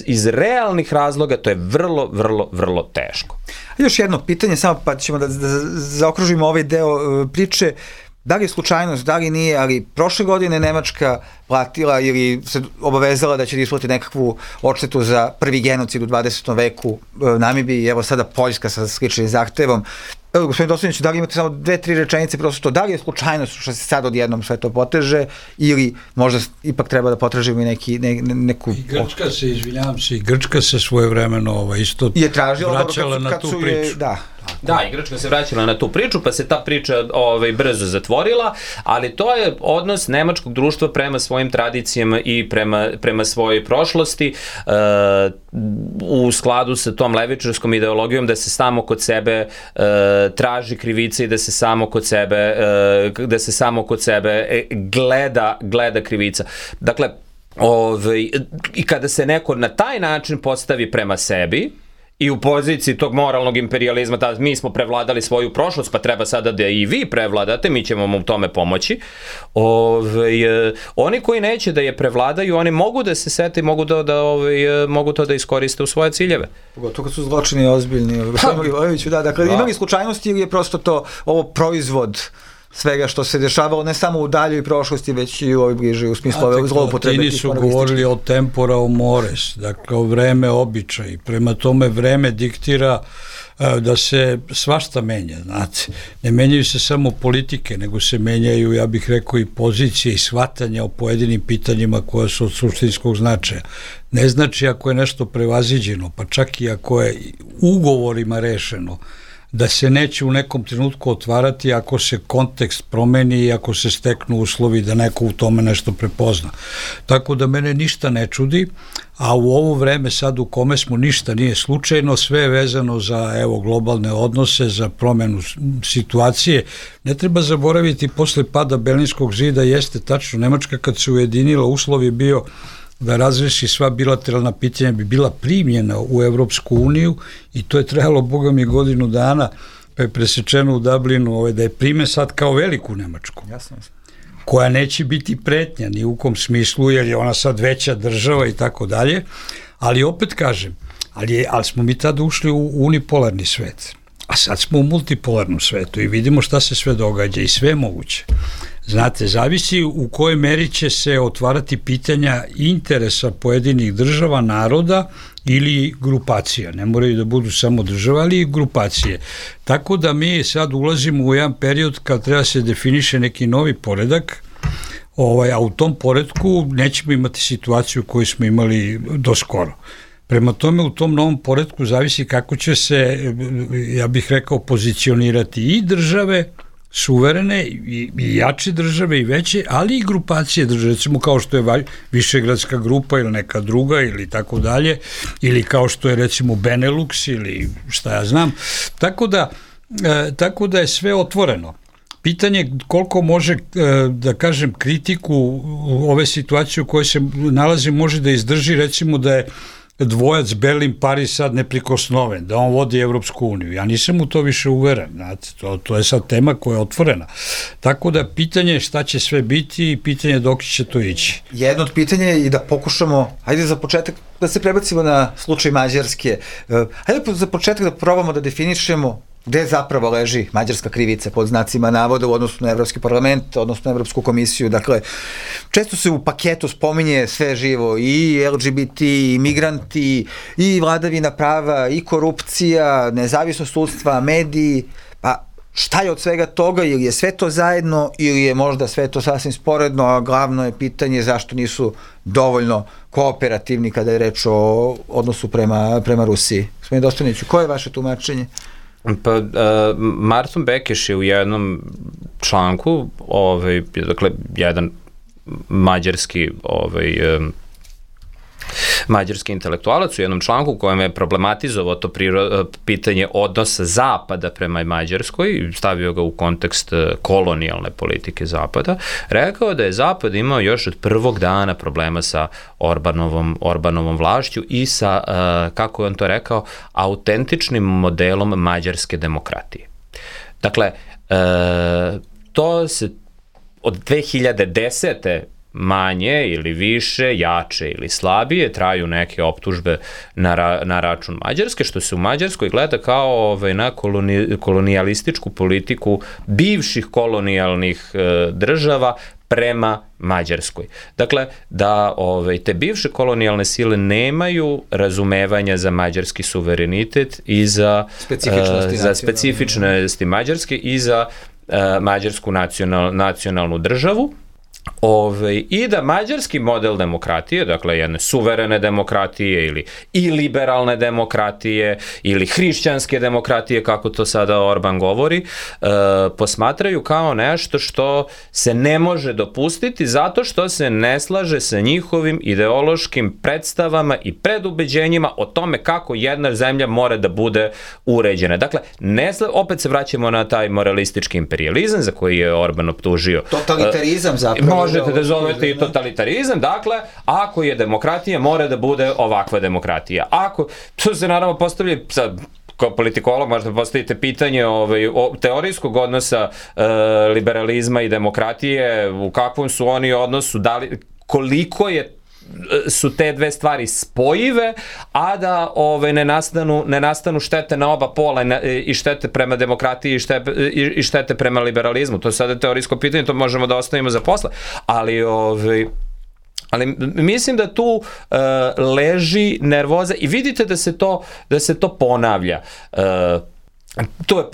iz realnih razloga, to je vrlo, vrlo, vrlo teško. Još jedno pitanje, samo pa ćemo da zaokružimo ovaj deo priče. Da li je slučajnost, da li nije, ali prošle godine Nemačka platila ili se obavezala da će da isplati nekakvu odštetu za prvi genocid u 20. veku Namibiji i evo sada Poljska sa sličnim zahtevom. Evo, gospodin Dostojnić, da li imate samo 2-3 rečenice, prosto da li je slučajnost što se sad odjednom sve to poteže ili možda ipak treba da potražimo neku... I Grčka se, izvinjavam se, i Grčka se svojevremeno isto vraćala na tu priču. Da, i Grčka se vraćala na tu priču, pa se ta priča brzo zatvorila, ali to je odnos nemačkog društva prema svojim tradicijama i prema svojoj prošlosti u skladu sa tom levičarskom ideologijom da se samo kod sebe traži krivica i da se samo kod sebe gleda krivica. Dakle, i kada se neko na taj način postavi prema sebi i u poziciji tog moralnog imperijalizma, da mi smo prevladali svoju prošlost, pa treba sada da i vi prevladate, mi ćemo vam u tome pomoći. Oni koji neće da je prevladaju, oni mogu da se sete i mogu to da iskoriste u svoje ciljeve. Pogotovo kad su zločini ozbiljni. Dakle, imali slučajnosti ili je prosto to ovo proizvod svega što se dešavalo, ne samo u daljoj prošlosti, već i u ovoj bližoj, u smislu ove zloupotrebe. Latini su govorili o tempora o mores, dakle o vreme običaj. Prema tome vreme diktira da se svašta menja, znate. Ne menjaju se samo politike, nego se menjaju, ja bih rekao, i pozicije i shvatanja o pojedinim pitanjima koja su od suštinskog značaja. Ne znači ako je nešto prevaziđeno, pa čak i ako je ugovorima rešeno, da se neće u nekom trenutku otvarati ako se kontekst promeni i ako se steknu uslovi da neko u tome nešto prepozna. Tako da mene ništa ne čudi, a u ovo vreme sad u kome smo ništa nije slučajno, sve je vezano za globalne odnose, za promenu situacije. Ne treba zaboraviti, posle pada Berlinskog zida jeste tačno, Nemačka kad se ujedinila, uslov je bio da razreši sva bilateralna pitanja, bi bila primljena u Evropsku uniju i to je trajalo, boga mi, godinu dana, pa je presečeno u Dublinu da je prime sad kao veliku Nemačku. Jasno. Koja neće biti pretnja ni u kom smislu, jer je ona sad veća država i tako dalje, ali opet kažem, ali smo mi tada ušli u unipolarni svet, a sad smo u multipolarnom svetu i vidimo šta se sve događa i sve je moguće. Znate, zavisi u kojoj meri će se otvarati pitanja interesa pojedinih država, naroda ili grupacija. Ne moraju da budu samo država, ali i grupacije. Tako da mi sad ulazimo u jedan period kad treba se definiše neki novi poredak, a u tom poredku nećemo imati situaciju koju smo imali do skoro. Prema tome, u tom novom poredku zavisi kako će se, ja bih rekao, pozicionirati i države, suverene i jače države i veće, ali i grupacije države, recimo kao što je Višegradska grupa ili neka druga ili tako dalje, ili kao što je recimo Benelux ili šta ja znam. Tako da je sve otvoreno. Pitanje koliko može, da kažem, kritiku ove situacije u kojoj se nalazi može da izdrži, recimo da je dvojac Berlin-Paris sad neprikosnoven, da on vodi Evropsku uniju. Ja nisam u to više uveren, znate, to je sad tema koja je otvorena. Tako da pitanje je šta će sve biti i pitanje dok će to ići. Jedno od pitanja je i da pokušamo, hajde za početak da se prebacimo na slučaj Mađarske. Hajde za početak da probamo da definišemo gde zapravo leži mađarska krivica pod znacima navoda u odnosu na Evropski parlament, odnosno na Evropsku komisiju. Dakle, često se u paketu spominje sve živo, i LGBT, i migranti, i vladavina prava, i korupcija, nezavisnost sudstva, mediji. Pa šta je od svega toga, ili je sve to zajedno, ili je možda sve to sasvim sporedno, a glavno je pitanje zašto nisu dovoljno kooperativni kada je reč o odnosu prema Rusiji. Gospodin Dostojniću, koje je vaše tumačenje? Pa, Marton Bekeš je u jednom članku, dakle, jedan mađarski intelektualac u jednom članku u kojem je problematizovao to pitanje odnosa Zapada prema Mađarskoj i stavio ga u kontekst kolonijalne politike Zapada, rekao da je Zapad imao još od prvog dana problema sa Orbanovom vlašću i sa, kako je on to rekao, autentičnim modelom mađarske demokratije. Dakle, to se od 2010. manje ili više, jače ili slabije, traju neke optužbe na račun Mađarske, što se u Mađarskoj gleda kao na kolonijalističku politiku bivših kolonijalnih država prema Mađarskoj. Dakle, da te bivše kolonijalne sile nemaju razumevanja za mađarski suverenitet i za specifičnosti Mađarske i za mađarsku nacionalnu državu. I da mađarski model demokratije, dakle jedne suverene demokratije ili liberalne demokratije ili hrišćanske demokratije, kako to sada Orban govori, posmatraju kao nešto što se ne može dopustiti zato što se ne slaže sa njihovim ideološkim predstavama i predubeđenjima o tome kako jedna zemlja mora da bude uređena. Dakle, opet se vraćamo na taj moralistički imperializam za koji je Orban optužio. Totalitarizam zapravo. Možete da zovete i totalitarizam, dakle, ako je demokratija, mora da bude ovakva demokratija. To se naravno postavlja, kao politikolog možda postavite pitanje teorijskog odnosa liberalizma i demokratije, u kakvom su oni odnosu, koliko su te dve stvari spojive, a da ne nastanu štete na oba pola i štete prema demokratiji i štete prema liberalizmu. To je sada teorijsko pitanje, to možemo da ostavimo za posle. Ali mislim da tu leži nervoza i vidite da se to ponavlja. Tu je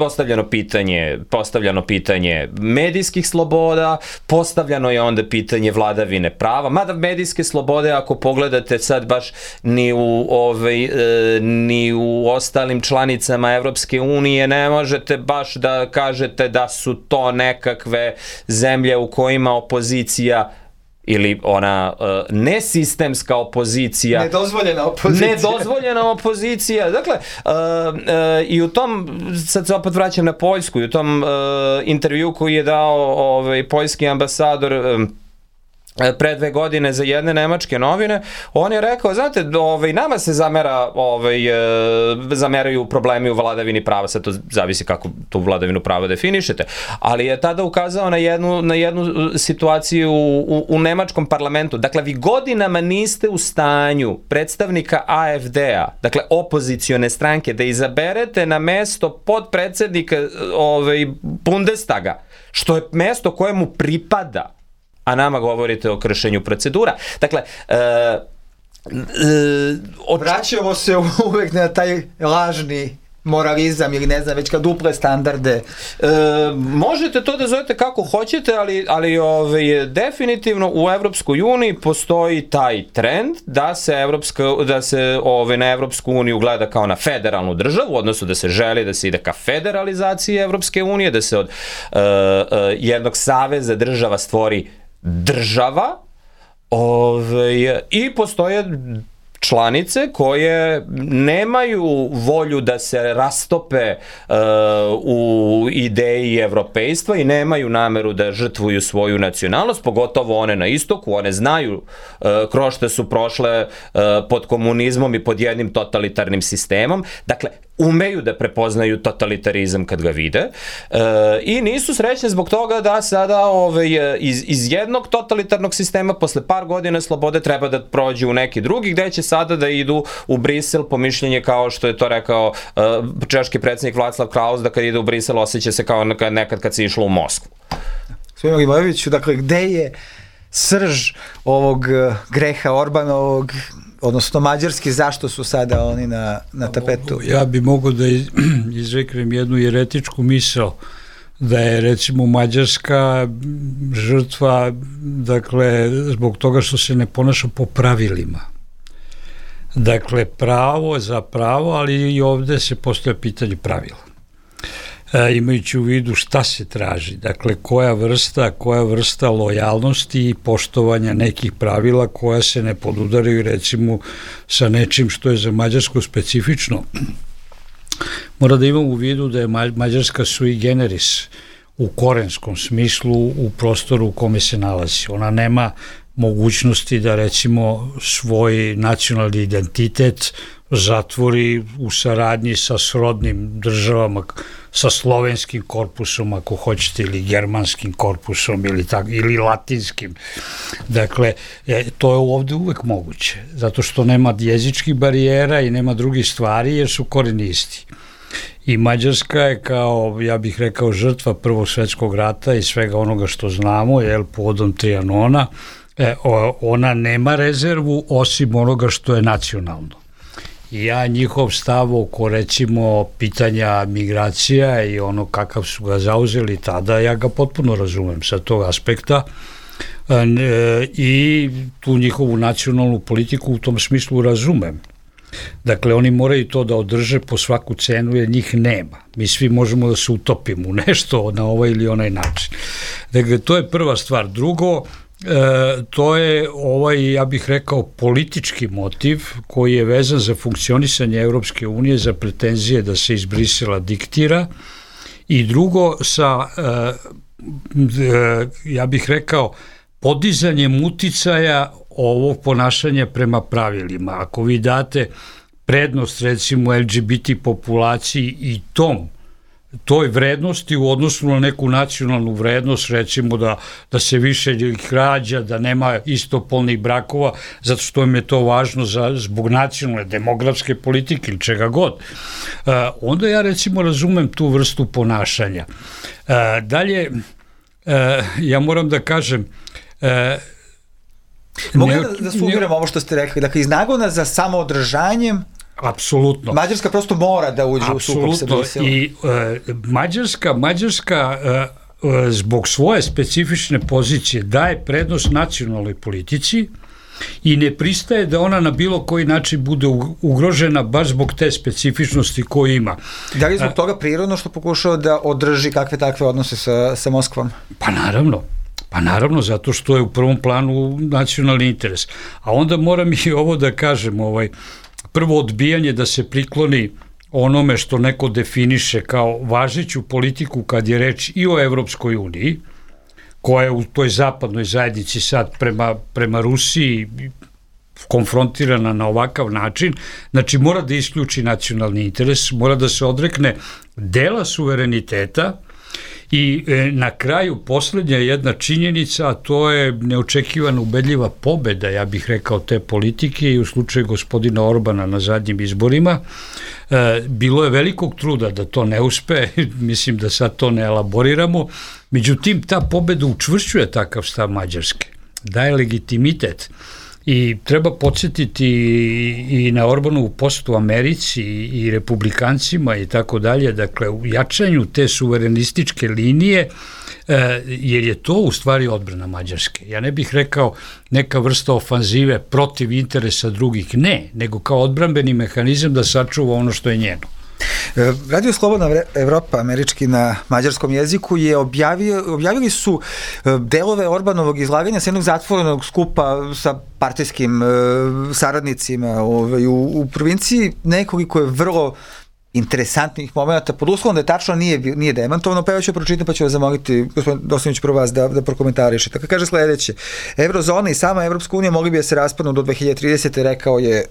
postavljano pitanje medijskih sloboda, postavljano je onda pitanje vladavine prava, mada medijske slobode, ako pogledate sad baš ni u ostalim članicama Evropske unije, ne možete baš da kažete da su to nekakve zemlje u kojima opozicija ili ona nesistemska opozicija. Nedozvoljena opozicija. Dakle, i u tom, sad se opet vraćam na Poljsku, i u tom intervju koji je dao poljski ambasador pre 2 godine za jedne nemačke novine, on je rekao, znate, nama se zameraju problemi u vladavini prava, sad to zavisi kako tu vladavinu prava definišete, ali je tada ukazao na jednu situaciju u nemačkom parlamentu. Dakle, vi godinama niste u stanju predstavnika AfD-a, dakle opozicione stranke, da izaberete na mesto podpredsednika Bundestaga, što je mesto koje mu pripada, a nama govorite o kršenju procedura. Dakle, vraćamo se uvek na taj lažni moralizam ili ne znam, već kad duple standarde. Možete to da zovete kako hoćete, ali definitivno u Evropskoj uniji postoji taj trend da se na Evropsku uniju gleda kao na federalnu državu, odnosno da se želi da se ide ka federalizaciji Evropske unije, da se od jednog saveza država stvori država, i postoje članice koje nemaju volju da se rastope u ideji evropejstva i nemaju nameru da žrtvuju svoju nacionalnost, pogotovo one na istoku, one znaju kroz što su prošle pod komunizmom i pod jednim totalitarnim sistemom, dakle, umeju da prepoznaju totalitarizam kad ga vide i nisu srećni zbog toga da sada iz jednog totalitarnog sistema posle par godina slobode treba da prođu u neki drugi, gde će sada da idu u Brisel, po mišljenje kao što je to rekao češki predsjednik Václav Klaus, da kad ide u Brisel osjeća se kao nekad kad se išlo u Moskvu. Gospodin Milivojeviću, dakle, gde je srž ovog greha Orbanovog, odnosno mađarski, zašto su sada oni na tapetu? Ja bi mogao da izreknem jednu jeretičku misao, da je recimo Mađarska žrtva, dakle, zbog toga što se ne ponaša po pravilima. Dakle, pravo za pravo, ali i ovde se postavlja pitanje pravila. Imajući u vidu šta se traži, dakle koja vrsta lojalnosti i poštovanja nekih pravila koja se ne podudaraju recimo sa nečim što je za Mađarsku specifično. Mora da imamo u vidu da je Mađarska sui generis u korenskom smislu u prostoru u kome se nalazi. Ona nema mogućnosti da recimo svoj nacionalni identitet zatvori u saradnji sa srodnim državama, sa slovenskim korpusom, ako hoćete, ili germanskim korpusom, ili latinskim. Dakle, to je ovde uvek moguće, zato što nema jezičkih barijera i nema drugih stvari, jer su koreni isti. I Mađarska je kao, ja bih rekao, žrtva Prvog svetskog rata i svega onoga što znamo, povodom Trianona, ona nema rezervu osim onoga što je nacionalno. I ja njihov stav oko recimo pitanja migracija i ono kakav su ga zauzeli tada, ja ga potpuno razumem sa tog aspekta i tu njihovu nacionalnu politiku u tom smislu razumem. Dakle, oni moraju to da održe po svaku cenu jer njih nema. Mi svi možemo da se utopimo u nešto na ovaj ili onaj način. Dakle, to je prva stvar. Drugo, to je ja bih rekao, politički motiv koji je vezan za funkcionisanje Evropske unije, za pretenzije da se iz Brisela diktira, i drugo sa, ja bih rekao, podizanjem uticaja ovog ponašanja prema pravilima. Ako vi date prednost recimo LGBT populaciji i toj vrednosti u odnosu na neku nacionalnu vrednost, recimo da se više ih rađa, da nema istopolnih brakova, zato što im je to važno zbog nacionalne demografske politike ili čega god, onda ja recimo razumem tu vrstu ponašanja. Dalje, ja moram da kažem, mogu da sumiram ovo što ste rekli, dakle, iz nagona za samoodržanjem Apsolutno. Mađarska prosto mora da uđe u sukob sa Briselom. I Mađarska zbog svoje specifične pozicije daje prednost nacionalnoj politici i ne pristaje da ona na bilo koji način bude ugrožena baš zbog te specifičnosti koju ima. Da li zbog toga prirodno što pokušao da održi kakve takve odnose sa Moskvom? Pa naravno, zato što je u prvom planu nacionalni interes. A onda moram i ovo da kažem, prvo odbijanje da se prikloni onome što neko definiše kao važeću politiku kad je reč i o Evropskoj uniji, koja je u toj zapadnoj zajednici sad prema Rusiji konfrontirana na ovakav način, znači mora da isključi nacionalni interes, mora da se odrekne dela suvereniteta i na kraju poslednja jedna činjenica, a to je neočekivana ubedljiva pobeda, ja bih rekao, te politike i u slučaju gospodina Orbana na zadnjim izborima. Bilo je velikog truda da to ne uspe, mislim da sad to ne elaboriramo, međutim ta pobeda učvršćuje takav stav Mađarske, daje legitimitet. I treba podsjetiti i na Orbanovu posetu u Americi i republikancima i tako dalje, dakle u jačanju te suverenističke linije, jer je to u stvari odbrana Mađarske. Ja ne bih rekao neka vrsta ofanzive protiv interesa drugih, ne, nego kao odbrambeni mehanizam da sačuva ono što je njeno. Radio Slobodna Evropa, američki na mađarskom jeziku, je objavili su delove Orbanovog izlaganja sa jednog zatvorenog skupa sa partijskim saradnicima u provinciji, nekoliko je vrlo interesantnih momenta, pod uslovom da je tačno nije demantovano, pa ja ću pročitam pa ću vas zamoliti, gospodin Dosanić, prvo vas da prokomentarišete. Tako kaže sledeće: Eurozona i sama Evropska unija mogli bi da se raspadnu do 2030. rekao je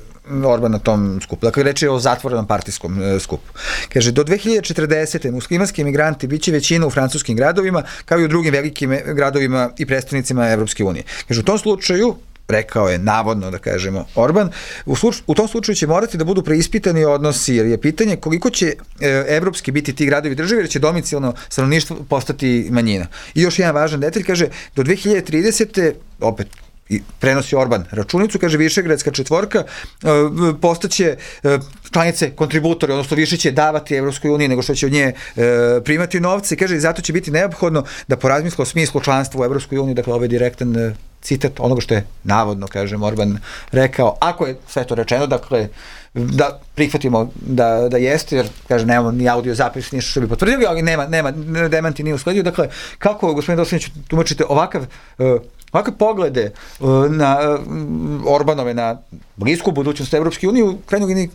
Orban na tom skupu. Dakle, reč je o zatvorenom partijskom skupu. Kaže, do 2040. muslimanski emigranti biće većina u francuskim gradovima, kao i u drugim velikim gradovima i predstavnicima Evropske unije. Kaže, u tom slučaju, rekao je navodno, da kažemo, Orban, u tom slučaju će morati da budu preispitani odnosi, jer je pitanje koliko će evropski biti ti gradovi i države, jer će domicilno stanovništvo postati manjina. I još jedan važan detalj, kaže, do 2030. opet prenosi Orban računicu, kaže, Višegradska četvorka postaće članice kontributori, odnosno više će davati Evropskoj uniji nego što će od nje primati novce, kaže, i zato će biti neophodno da porazmisle o smislu članstva u Evropskoj uniji, dakle, ovaj direktan citat onoga što je navodno, kažem, Orban rekao, ako je sve to rečeno, dakle, da prihvatimo da jeste, jer, kaže, nemamo ni audio zapis, ništa što bi potvrdili, ali nema demanti nije usledio, dakle, kako, gospodin Dosanić, tumačite ovakve poglede na Orbanove, na blisku budućnost Evropske unije, u krajnjoj liniji,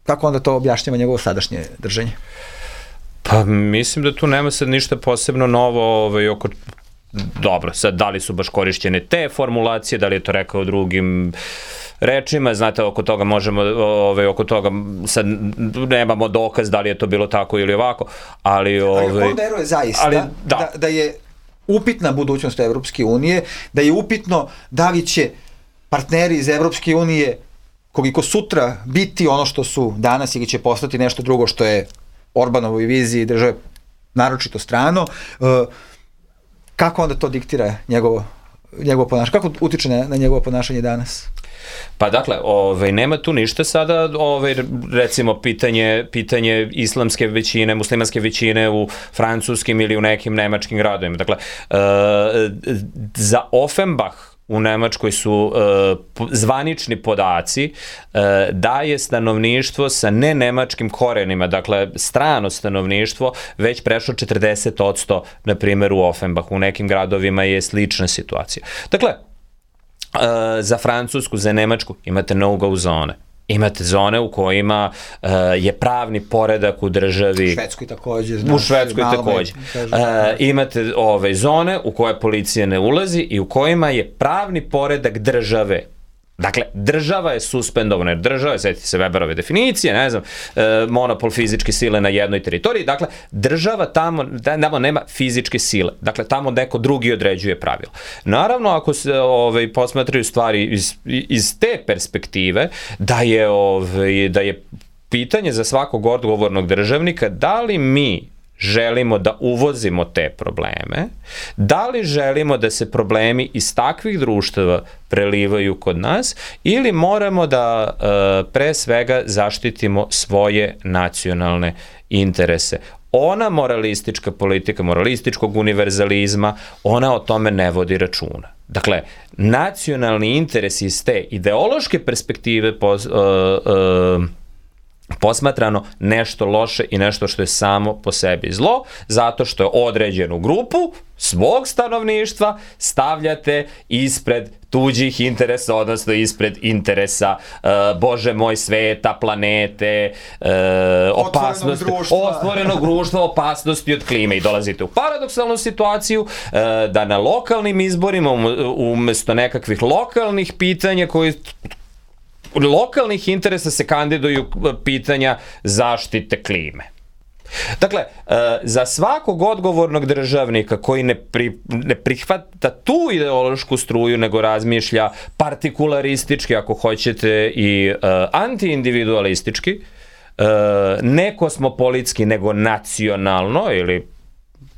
kako onda to objašnjava njegovo sadašnje držanje? Pa mislim da tu nema sad ništa posebno novo oko... Dobro, sad da li su baš korišćene te formulacije, da li je to rekao drugim rečima, znate, oko toga možemo, oko toga sad nemamo dokaz da li je to bilo tako ili ovako, ali... Ali on veruje zaista da je upitna budućnost Evropske unije, da je upitno da li će partneri iz Evropske unije koliko sutra biti ono što su danas ili će postati nešto drugo što je Orbanovoj viziji države naročito strano. Kako onda to diktira njegovo ponašanje? Kako utiče na njegovo ponašanje danas? Pa dakle, nema tu ništa sada, recimo pitanje islamske većine, muslimanske većine u francuskim ili u nekim nemačkim gradovima. Dakle, za Offenbach u Nemačkoj su zvanični podaci da je stanovništvo sa nenemačkim korenima, dakle strano stanovništvo, već prešlo 40%, na primjer u Offenbachu. U nekim gradovima je slična situacija. Dakle, za Francusku, za Nemačku imate no-go zone. Imate zone u kojima je pravni poredak u državi... U Švedskoj takođe. Imate zone u koje policija ne ulazi i u kojima je pravni poredak države. Dakle, država je suspendovana, jer država, sjetite se Weberove definicije, ne znam, monopol fizičke sile na jednoj teritoriji, dakle, država tamo nema fizičke sile, dakle, tamo neko drugi određuje pravila. Naravno, ako se posmatraju stvari iz te perspektive, da je pitanje za svakog odgovornog državnika, da li mi želimo da uvozimo te probleme, da li želimo da se problemi iz takvih društava prelivaju kod nas ili moramo da pre svega zaštitimo svoje nacionalne interese. Ona moralistička politika, moralističkog univerzalizma, ona o tome ne vodi računa. Dakle, nacionalni interes iz te ideološke perspektive posmatrano nešto loše i nešto što je samo po sebi zlo, zato što je određenu grupu svog stanovništva stavljate ispred tuđih interesa, odnosno ispred interesa, Bože moj, sveta, planete, opasnosti, otvorenog društva, opasnosti od klime. I dolazite u paradoksalnu situaciju da na lokalnim izborima umesto nekakvih lokalnih pitanja lokalnih interesa se kandiduju pitanja zaštite klime. Dakle, za svakog odgovornog državnika koji ne prihvata tu ideološku struju, nego razmišlja partikularistički, ako hoćete, i antiindividualistički, ne kosmopolitski, nego nacionalno ili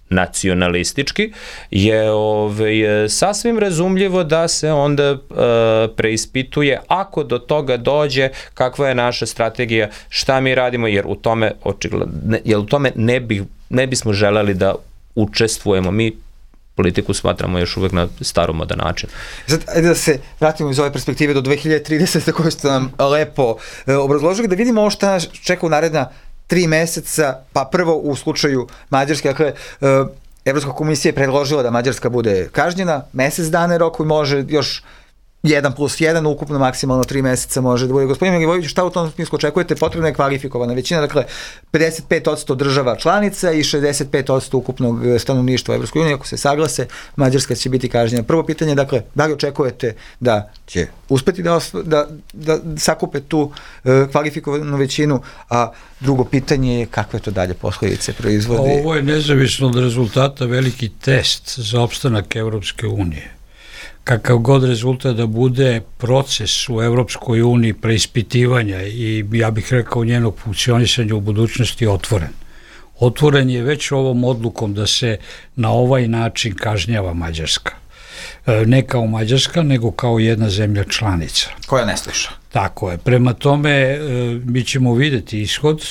nacionalistički, je sasvim razumljivo da se onda preispituje, ako do toga dođe, kakva je naša strategija, šta mi radimo, jer u tome ne bismo želeli da učestvujemo. Mi politiku smatramo još uvek na staromodan način. Sad, ajde da se vratimo iz ove perspektive do 2030. koju ste nam lepo obrazložili, da vidimo ovo šta nas čeka u naredna 3 meseca, pa prvo u slučaju Mađarske, dakle, Evropska komisija je predložila da Mađarska bude kažnjena, mesec dana roku i može još 1+1, ukupno maksimalno 3 meseca može da bude. Gospodin Milivojević, šta u tom smislu očekujete? Potrebna je kvalifikovana većina, dakle 55% država članica i 65% ukupnog stanovništva Evropskoj uniji. Ako se saglase, Mađarska će biti kažnjena. Prvo pitanje, dakle, da li očekujete da će uspeti da sakupe tu kvalifikovanu većinu, a drugo pitanje je kakve to dalje posledice proizvodi? Ovo je nezavisno od rezultata veliki test za opstanak Evropske unije. Kakav god rezultat da bude, proces u Evropskoj uniji preispitivanja i, ja bih rekao, njenog funkcionisanja u budućnosti je otvoren. Otvoren je već ovom odlukom da se na ovaj način kažnjava Mađarska. Ne kao Mađarska, nego kao jedna zemlja članica. Koja ne sluša. Tako je. Prema tome, mi ćemo videti ishod,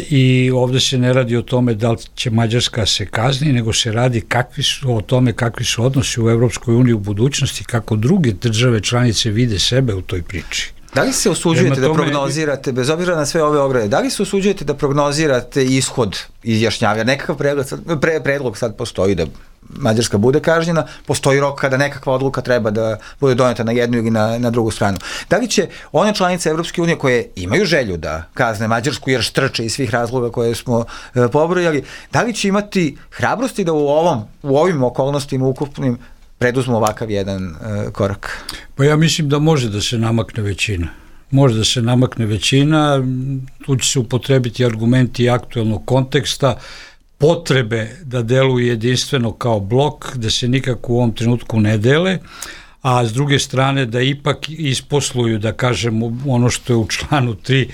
i ovde se ne radi o tome da li će Mađarska se kazni, nego se radi o tome kakvi su odnosi u Evropskoj uniji u budućnosti, kako druge države članice vide sebe u toj priči. Da li se usuđujete da prognozirate, bez obzira na sve ove ograde, da li se usuđujete da prognozirate ishod izjašnjavanja? Nekakav predlog sad postoji da Mađarska bude kažnjena, postoji rok kada nekakva odluka treba da bude doneta na jednu ili na drugu stranu. Da li će one članice Evropske unije koje imaju želju da kazne Mađarsku jer štrče iz svih razloga koje smo pobrojali, da li će imati hrabrosti da u ovim okolnostima ukupnim preduzmu ovakav jedan korak? Pa ja mislim da može da se namakne većina. Može da se namakne većina, tu će se upotrebiti argumenti aktuelnog konteksta, potrebe da deluju jedinstveno kao blok, da se nikako u ovom trenutku ne dele, a s druge strane da ipak isposluju, da kažemo, ono što je u članu 3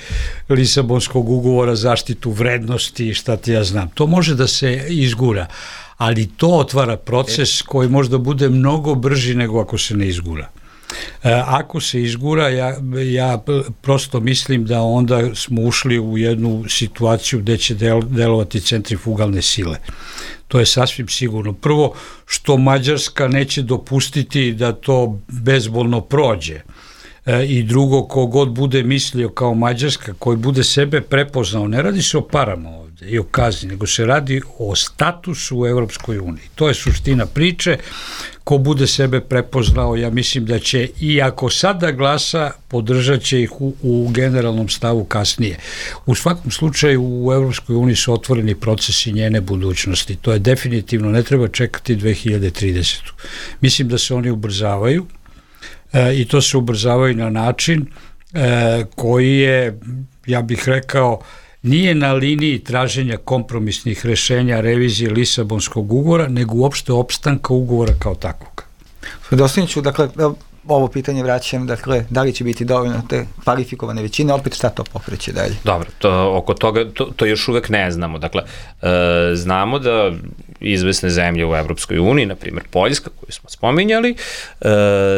Lisabonskog ugovora, zaštitu vrednosti i šta ti ja znam. To može da se izgura, ali to otvara proces koji možda bude mnogo brži nego ako se ne izgura. Ako se izgura, ja prosto mislim da onda smo ušli u jednu situaciju gde će delovati centrifugalne sile. To je sasvim sigurno. Prvo, što Mađarska neće dopustiti da to bezbolno prođe. I drugo, kogod bude mislio kao Mađarska, koji bude sebe prepoznao, ne radi se o parama ovde i o kazni, nego se radi o statusu u Evropskoj uniji. To je suština priče. Ko bude sebe prepoznao, ja mislim da će, i ako sada glasa, podržat će ih u generalnom stavu kasnije. U svakom slučaju u Evropskoj uniji su otvoreni procesi njene budućnosti. To je definitivno, ne treba čekati 2030. Mislim da se oni ubrzavaju, i to se ubrzavaju na način koji je, ja bih rekao, nije na liniji traženja kompromisnih rešenja revizije Lisabonskog ugovora, nego uopšte opstanka ugovora kao takvog. Dostaniću, dakle, ovo pitanje vraćam, dakle, da li će biti dovoljno te kvalifikovane većine, opet šta to pokreće dalje? Dobro, oko toga, to još uvek ne znamo. Dakle, znamo da izvesne zemlje u Evropskoj uniji, na primjer Poljska, koju smo spominjali,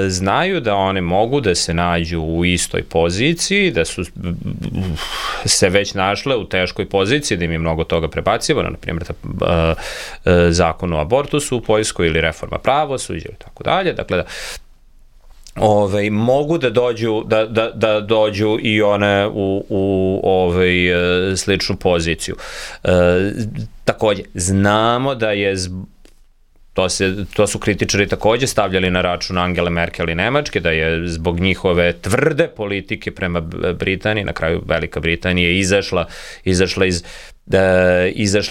znaju da one mogu da se nađu u istoj poziciji, da su se već našle u teškoj poziciji, da im je mnogo toga prebacivano, na primjer zakon o abortusu u Poljskoj ili reforma pravosuđa i tako dalje. Dakle, mogu da dođu i one u sličnu poziciju. Takođe, znamo da je to su kritičari takođe stavljali na račun Angele Merkel i Nemačke, da je zbog njihove tvrde politike prema Britaniji, na kraju Velika Britanija izašla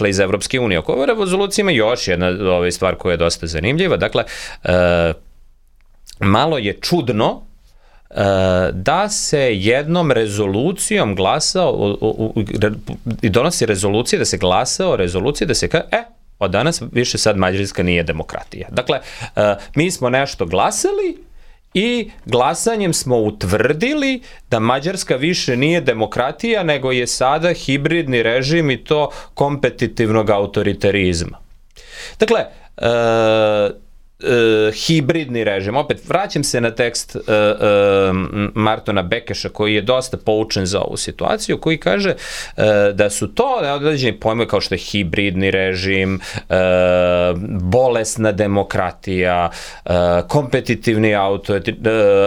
iz Evropske unije. Oko ove rezolucije ima još jedna stvar koja je dosta zanimljiva. Dakle, malo je čudno da se jednom rezolucijom glasa i donosi rezolucija, da se glasa o rezoluciji, da se kaže, od danas više sad Mađarska nije demokratija. Dakle, mi smo nešto glasali i glasanjem smo utvrdili da Mađarska više nije demokratija, nego je sada hibridni režim i to kompetitivnog autoritarizma. Dakle, hibridni režim. Opet, vraćam se na tekst Martona Bekeša, koji je dosta poučen za ovu situaciju, koji kaže da su to određeni pojmovi kao što je hibridni režim, bolesna demokratija, kompetitivni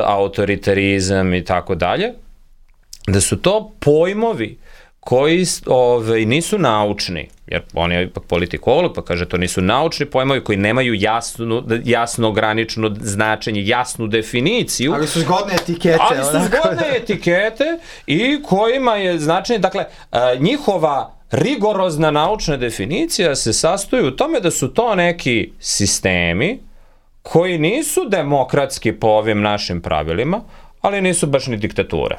autoritarizam i tako dalje, da su to pojmovi koji nisu naučni, jer on je ipak politikolog, pa kaže to nisu naučni pojmovi koji nemaju jasno ograničeno značenje, jasnu definiciju. Ali su zgodne etikete. I kojima je značenje, dakle, njihova rigorozna naučna definicija se sastoji u tome da su to neki sistemi koji nisu demokratski po ovim našim pravilima, ali nisu baš ni diktature.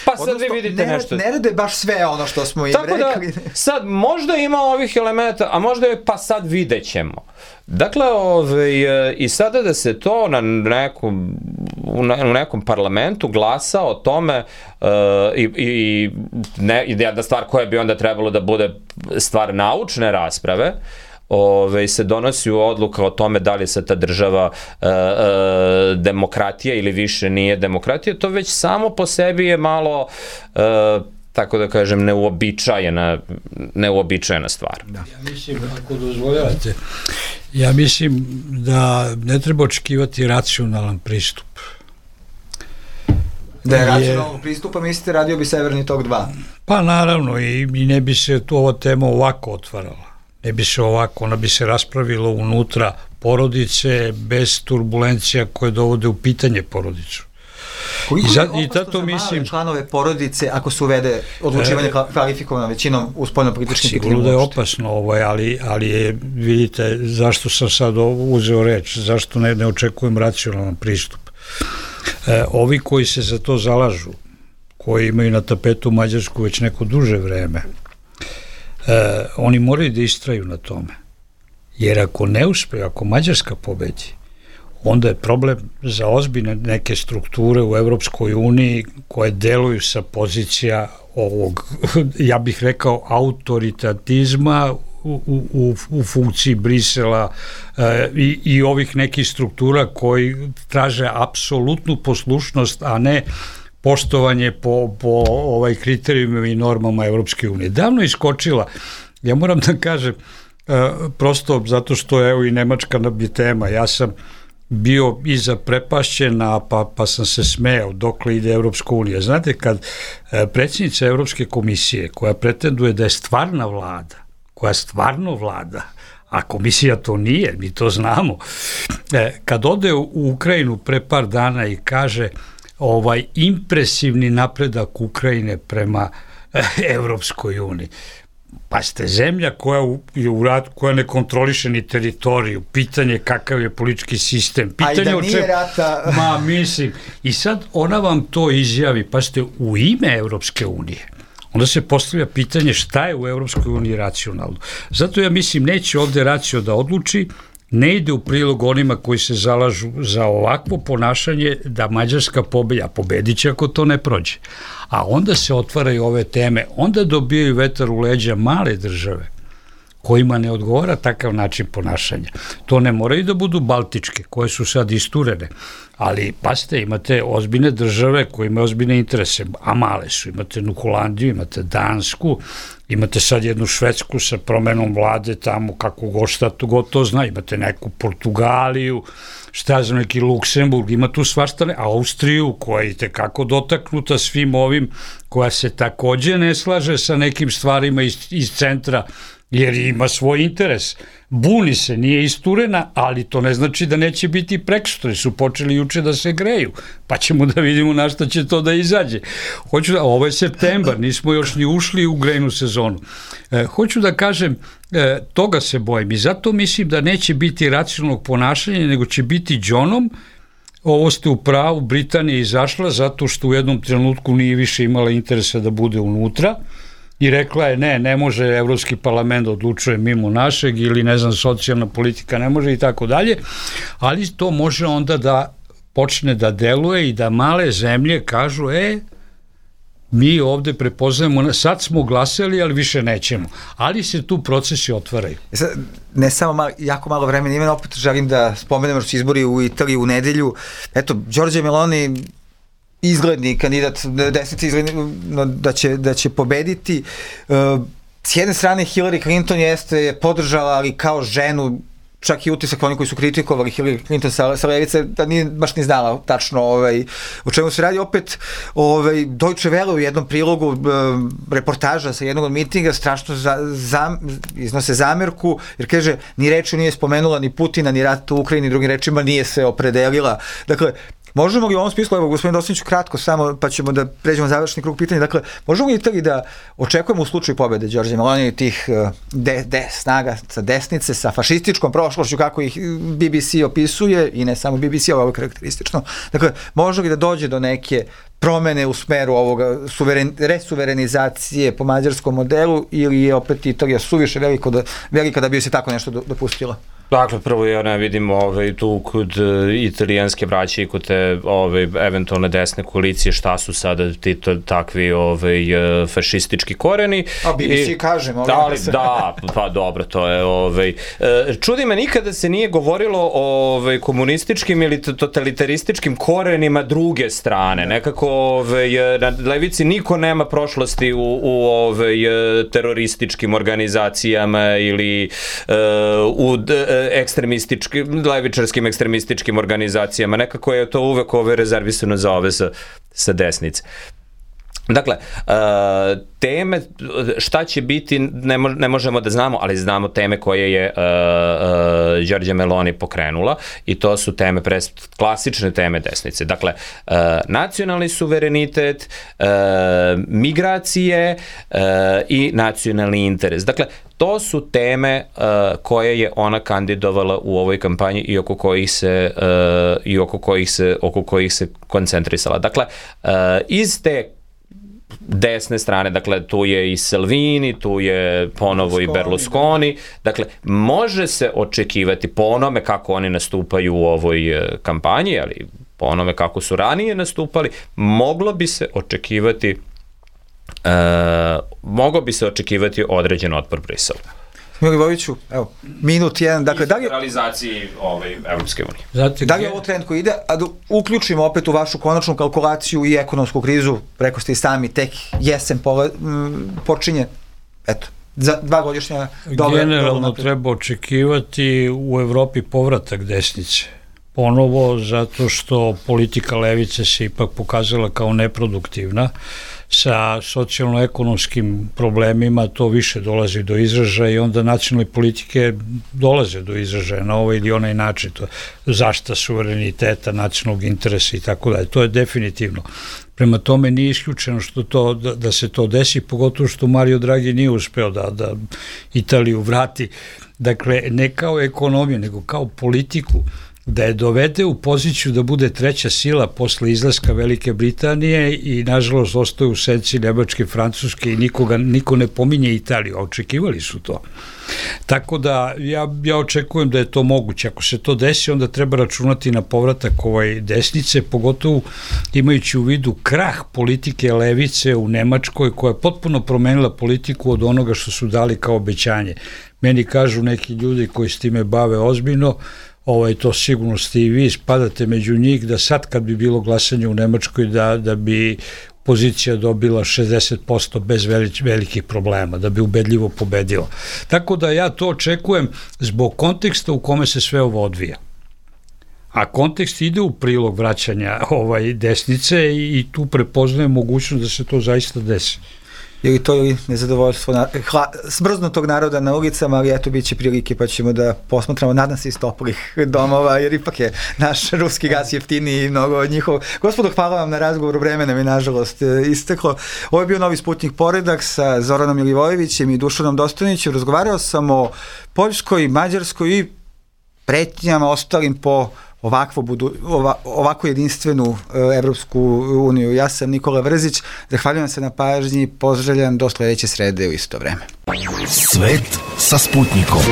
Pa sad vi vidite nešto. Ne rade baš sve ono što smo im rekli. Tako da, sad možda ima ovih elementa, a možda je, pa sad vidjet ćemo. Dakle, i sada da se to u nekom parlamentu glasa o tome i jedna stvar koja bi onda trebalo da bude stvar naučne rasprave, se donosi odluka o tome da li se ta država demokratija ili više nije demokratija, to već samo po sebi je malo, tako da kažem, neuobičajena stvar. Ja mislim, ako dozvoljavate, ja mislim da ne treba očekivati racionalan pristup. Da je racionalnog pristupa, mislite, radio bi Severni tok 2? Pa naravno, i ne bi se ova tema ovako otvarala. Ne bi se ovako, ona bi se raspravila unutra porodice bez turbulencija koje dovode u pitanje porodicu. Koliko je opasno za male članove porodice ako se uvede odlučivanje kvalifikovanom većinom u spoljno-političkim pitanjima? Sigurno da je opasno, ali je, vidite, zašto sam sad uzeo reč, zašto ne očekujem racionalan pristup. Ovi koji se za to zalažu, koji imaju na tapetu Mađarsku već neko duže vreme, oni moraju da istraju na tome. Jer ako ne uspeju, ako Mađarska pobedi, onda je problem za ozbiljne neke strukture u Evropskoj uniji koje deluju sa pozicija ovog, ja bih rekao, autoritatizma u funkciji Brisela i ovih nekih struktura koji traže apsolutnu poslušnost, a ne poštovanje po kriterijumima i normama Evropske unije. Davno je iskočila, ja moram da kažem, prosto zato što evo i Nemačka je tema, ja sam bio iza prepašćena, pa sam se smejao dokle ide Evropska unija. Znate, kad predsjednica Evropske komisije, koja pretenduje da je stvarna vlada, koja stvarno vlada, a komisija to nije, mi to znamo, kad ode u Ukrajinu pre par dana i kaže impresivni napredak Ukrajine prema Evropskoj uniji. Pa ste zemlja koja je u ratu, koja ne kontroliše ni teritoriju, pitanje kakav je politički sistem, pitanje a i da nije rata. Mislim, i sad ona vam to izjavi, pa ste u ime Evropske unije. Onda se postavlja pitanje šta je u Evropskoj uniji racionalno. Zato ja mislim neće ovde racio da odluči, ne ide u prilog onima koji se zalažu za ovakvo ponašanje da Mađarska pobedit će ako to ne prođe. A onda se otvaraju ove teme, onda dobijaju vetar u leđa male države kojima ne odgovara takav način ponašanja. To ne moraju da budu baltičke, koje su sad isturene, ali pasite, imate ozbiljne države koje imaju ozbiljne interese, a male su. Imate Holandiju, imate Dansku, imate sad jednu Švedsku sa promenom vlade tamo, kako god šta to god to zna, imate neku Portugaliju, šta znam, neki Luksemburg, ima tu svaštane, Austriju koja je tekako dotaknuta svim ovim, koja se takođe ne slaže sa nekim stvarima iz centra, jer ima svoj interes. Buni se, nije isturena, ali to ne znači da neće biti preksutri, su počeli juče da se greju, pa ćemo da vidimo na šta će to da izađe. Ovo je septembar, nismo još ni ušli u grejnu sezonu. Hoću da kažem, toga se bojim i zato mislim da neće biti racionalnog ponašanja, nego će biti džonom. Ovo ste u pravu, Britanija je izašla zato što u jednom trenutku nije više imala interesa da bude unutra, i rekla je ne može Evropski parlament odlučuje mimo našeg ili ne znam socijalna politika ne može i tako dalje, ali to može onda da počne da deluje i da male zemlje kažu mi ovde prepoznajemo, sad smo glasali, ali više nećemo. Ali se tu procesi otvaraju. Ne samo jako malo vremena imena, opet želim da spomenemo što su izbori u Italiji u nedelju. Eto, Giorgia Meloni, izgledni kandidat desnice, da će pobediti. S jedne strane Hillary Clinton je podržala, ali kao ženu, čak i utisak oni koji su kritikovali Hillary Clinton sa levice, da nije baš ni znala tačno o čemu se radi. Opet Deutsche Welle u jednom prilogu reportaža sa jednog od mitinga strašno iznose zamerku, jer kaže, ni reči nije spomenula ni Putina, ni rat u Ukrajini, drugim rečima nije se opredelila. Dakle, možemo li u ovom smislu, evo gospodin Dostaniću kratko samo, pa ćemo da pređemo završni krug pitanja, dakle, možemo li Italiji da očekujemo u slučaju pobede Giorgia Meloni tih snaga sa desnice, sa fašističkom prošlošću, kako ih BBC opisuje, i ne samo BBC, ovo je karakteristično, dakle, može li da dođe do neke promene u smeru ovoga resuverenizacije po mađarskom modelu, ili je opet Italija suviše velika da bi se tako nešto dopustila? Dakle, prvo ja ne vidim tu kod italijanske braće i kod te eventualne desne koalicije šta su sada ti takvi fašistički koreni. A BBC kažem. Da, pa dobro, to je... Čudi me, nikada se nije govorilo o komunističkim ili totalitarističkim korenima druge strane. Nekako na levici niko nema prošlosti u terorističkim organizacijama ili u levičarskim ekstremističkim organizacijama. Nekako je to uvek rezervisano za ove sa desnice. Dakle, teme, šta će biti, ne možemo da znamo, ali znamo teme koje je Giorgia Meloni pokrenula, i to su teme, klasične teme desnice. Dakle, nacionalni suverenitet, migracije i nacionalni interes. Dakle, to su teme koje je ona kandidovala u ovoj kampanji i oko kojih se koncentrisala. Dakle, iz te desne strane, dakle, tu je i Salvini, tu je ponovo i Berlusconi, dakle, može se očekivati po onome kako oni nastupaju u ovoj kampanji, ali po onome kako su ranije nastupali, moglo bi se očekivati određen otpor Briselu. Milivojeviću, evo, minut jedan, dakle, da li je realizaciji Evropske unije. Da li je ovo trend koji ide, a da uključimo opet u vašu konačnu kalkulaciju i ekonomsku krizu, preko ste i sami, tek jesen počinje, eto, za 2 godišnja dobra. Generalno treba očekivati u Evropi povratak desnice. Ponovo, zato što politika levice se ipak pokazala kao neproduktivna. Sa socijalno-ekonomskim problemima to više dolazi do izražaja i onda nacionalne politike dolaze do izražaja na ovaj ili onaj način. Zaštita suvereniteta, nacionalnog interesa i tako dalje. To je definitivno. Prema tome nije isključeno da se to desi, pogotovo što Mario Draghi nije uspeo da Italiju vrati. Dakle, ne kao ekonomiju, nego kao politiku, da je dovede u poziciju da bude treća sila posle izlaska Velike Britanije i nažalost ostaje u senci Nemačke, Francuske i niko ne pominje Italiju, a očekivali su to. Tako da ja očekujem da je to moguće. Ako se to desi, onda treba računati na povratak desnice, pogotovo imajući u vidu krah politike levice u Nemačkoj, koja je potpuno promenila politiku od onoga što su dali kao obećanje. Meni kažu neki ljudi koji s time bave ozbiljno, to sigurno ste i vi, spadate među njih, da sad kad bi bilo glasanje u Nemačkoj da bi pozicija dobila 60% bez velikih problema, da bi ubedljivo pobedila. Tako da ja to očekujem zbog konteksta u kome se sve ovo odvija. A kontekst ide u prilog vraćanja desnice i tu prepoznajem mogućnost da se to zaista desi. Ili to ili nezadovoljstvo smrznutog naroda na ulicama, ali eto bit će prilike pa ćemo da posmatramo, nadam se iz toplih domova, jer ipak je naš ruski gas jeftiniji i mnogo od njihov. Gospodo, hvala vam na razgovoru, vreme nam je nažalost isteklo. Ovo je bio Novi Sputnik Poredak sa Zoranom Milivojevićem i Dušanom Dostojnićem. Razgovarao sam o Poljskoj, Mađarskoj i pretnjama ostalim po ovako jedinstvenu Evropsku uniju. Ja sam Nikola Vrzić, zahvaljujem se na pažnji, pozdravljam do sledeće srede u isto vreme. Svet sa Sputnikom.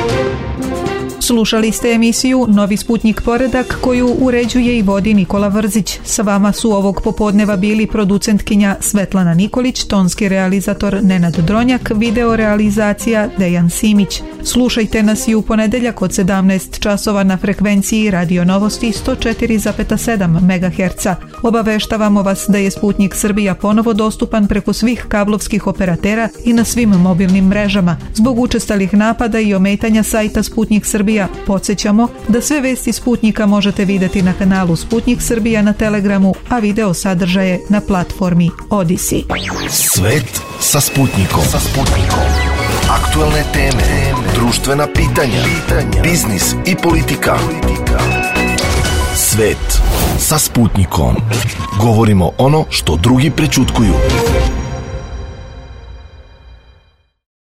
Slušali ste emisiju Novi Sputnik Poredak koju uređuje i vodi Nikola Vrzić. Sa vama su ovog popodneva bili producentkinja Svetlana Nikolić, tonski realizator Nenad Dronjak, video realizacija Dejan Simić. Slušajte nas i u ponedeljak od 17 časova na frekvenciji Radio Novosti 104,7 MHz. Obaveštavamo vas da je Sputnik Srbija ponovo dostupan preko svih kablovskih operatera i na svim mobilnim mrežama. Zbog učestalih napada i ometanja sajta Sputnik Srbija podsjećamo da sve vesti Sputnika možete videti na kanalu Sputnik Srbija na Telegramu, a video sadržaje na platformi Odyssey. Svet sa Sputnikom. Aktuelne teme, društvena pitanja, biznis i politika. Svet sa Sputnikom. Govorimo ono što drugi prećutkuju.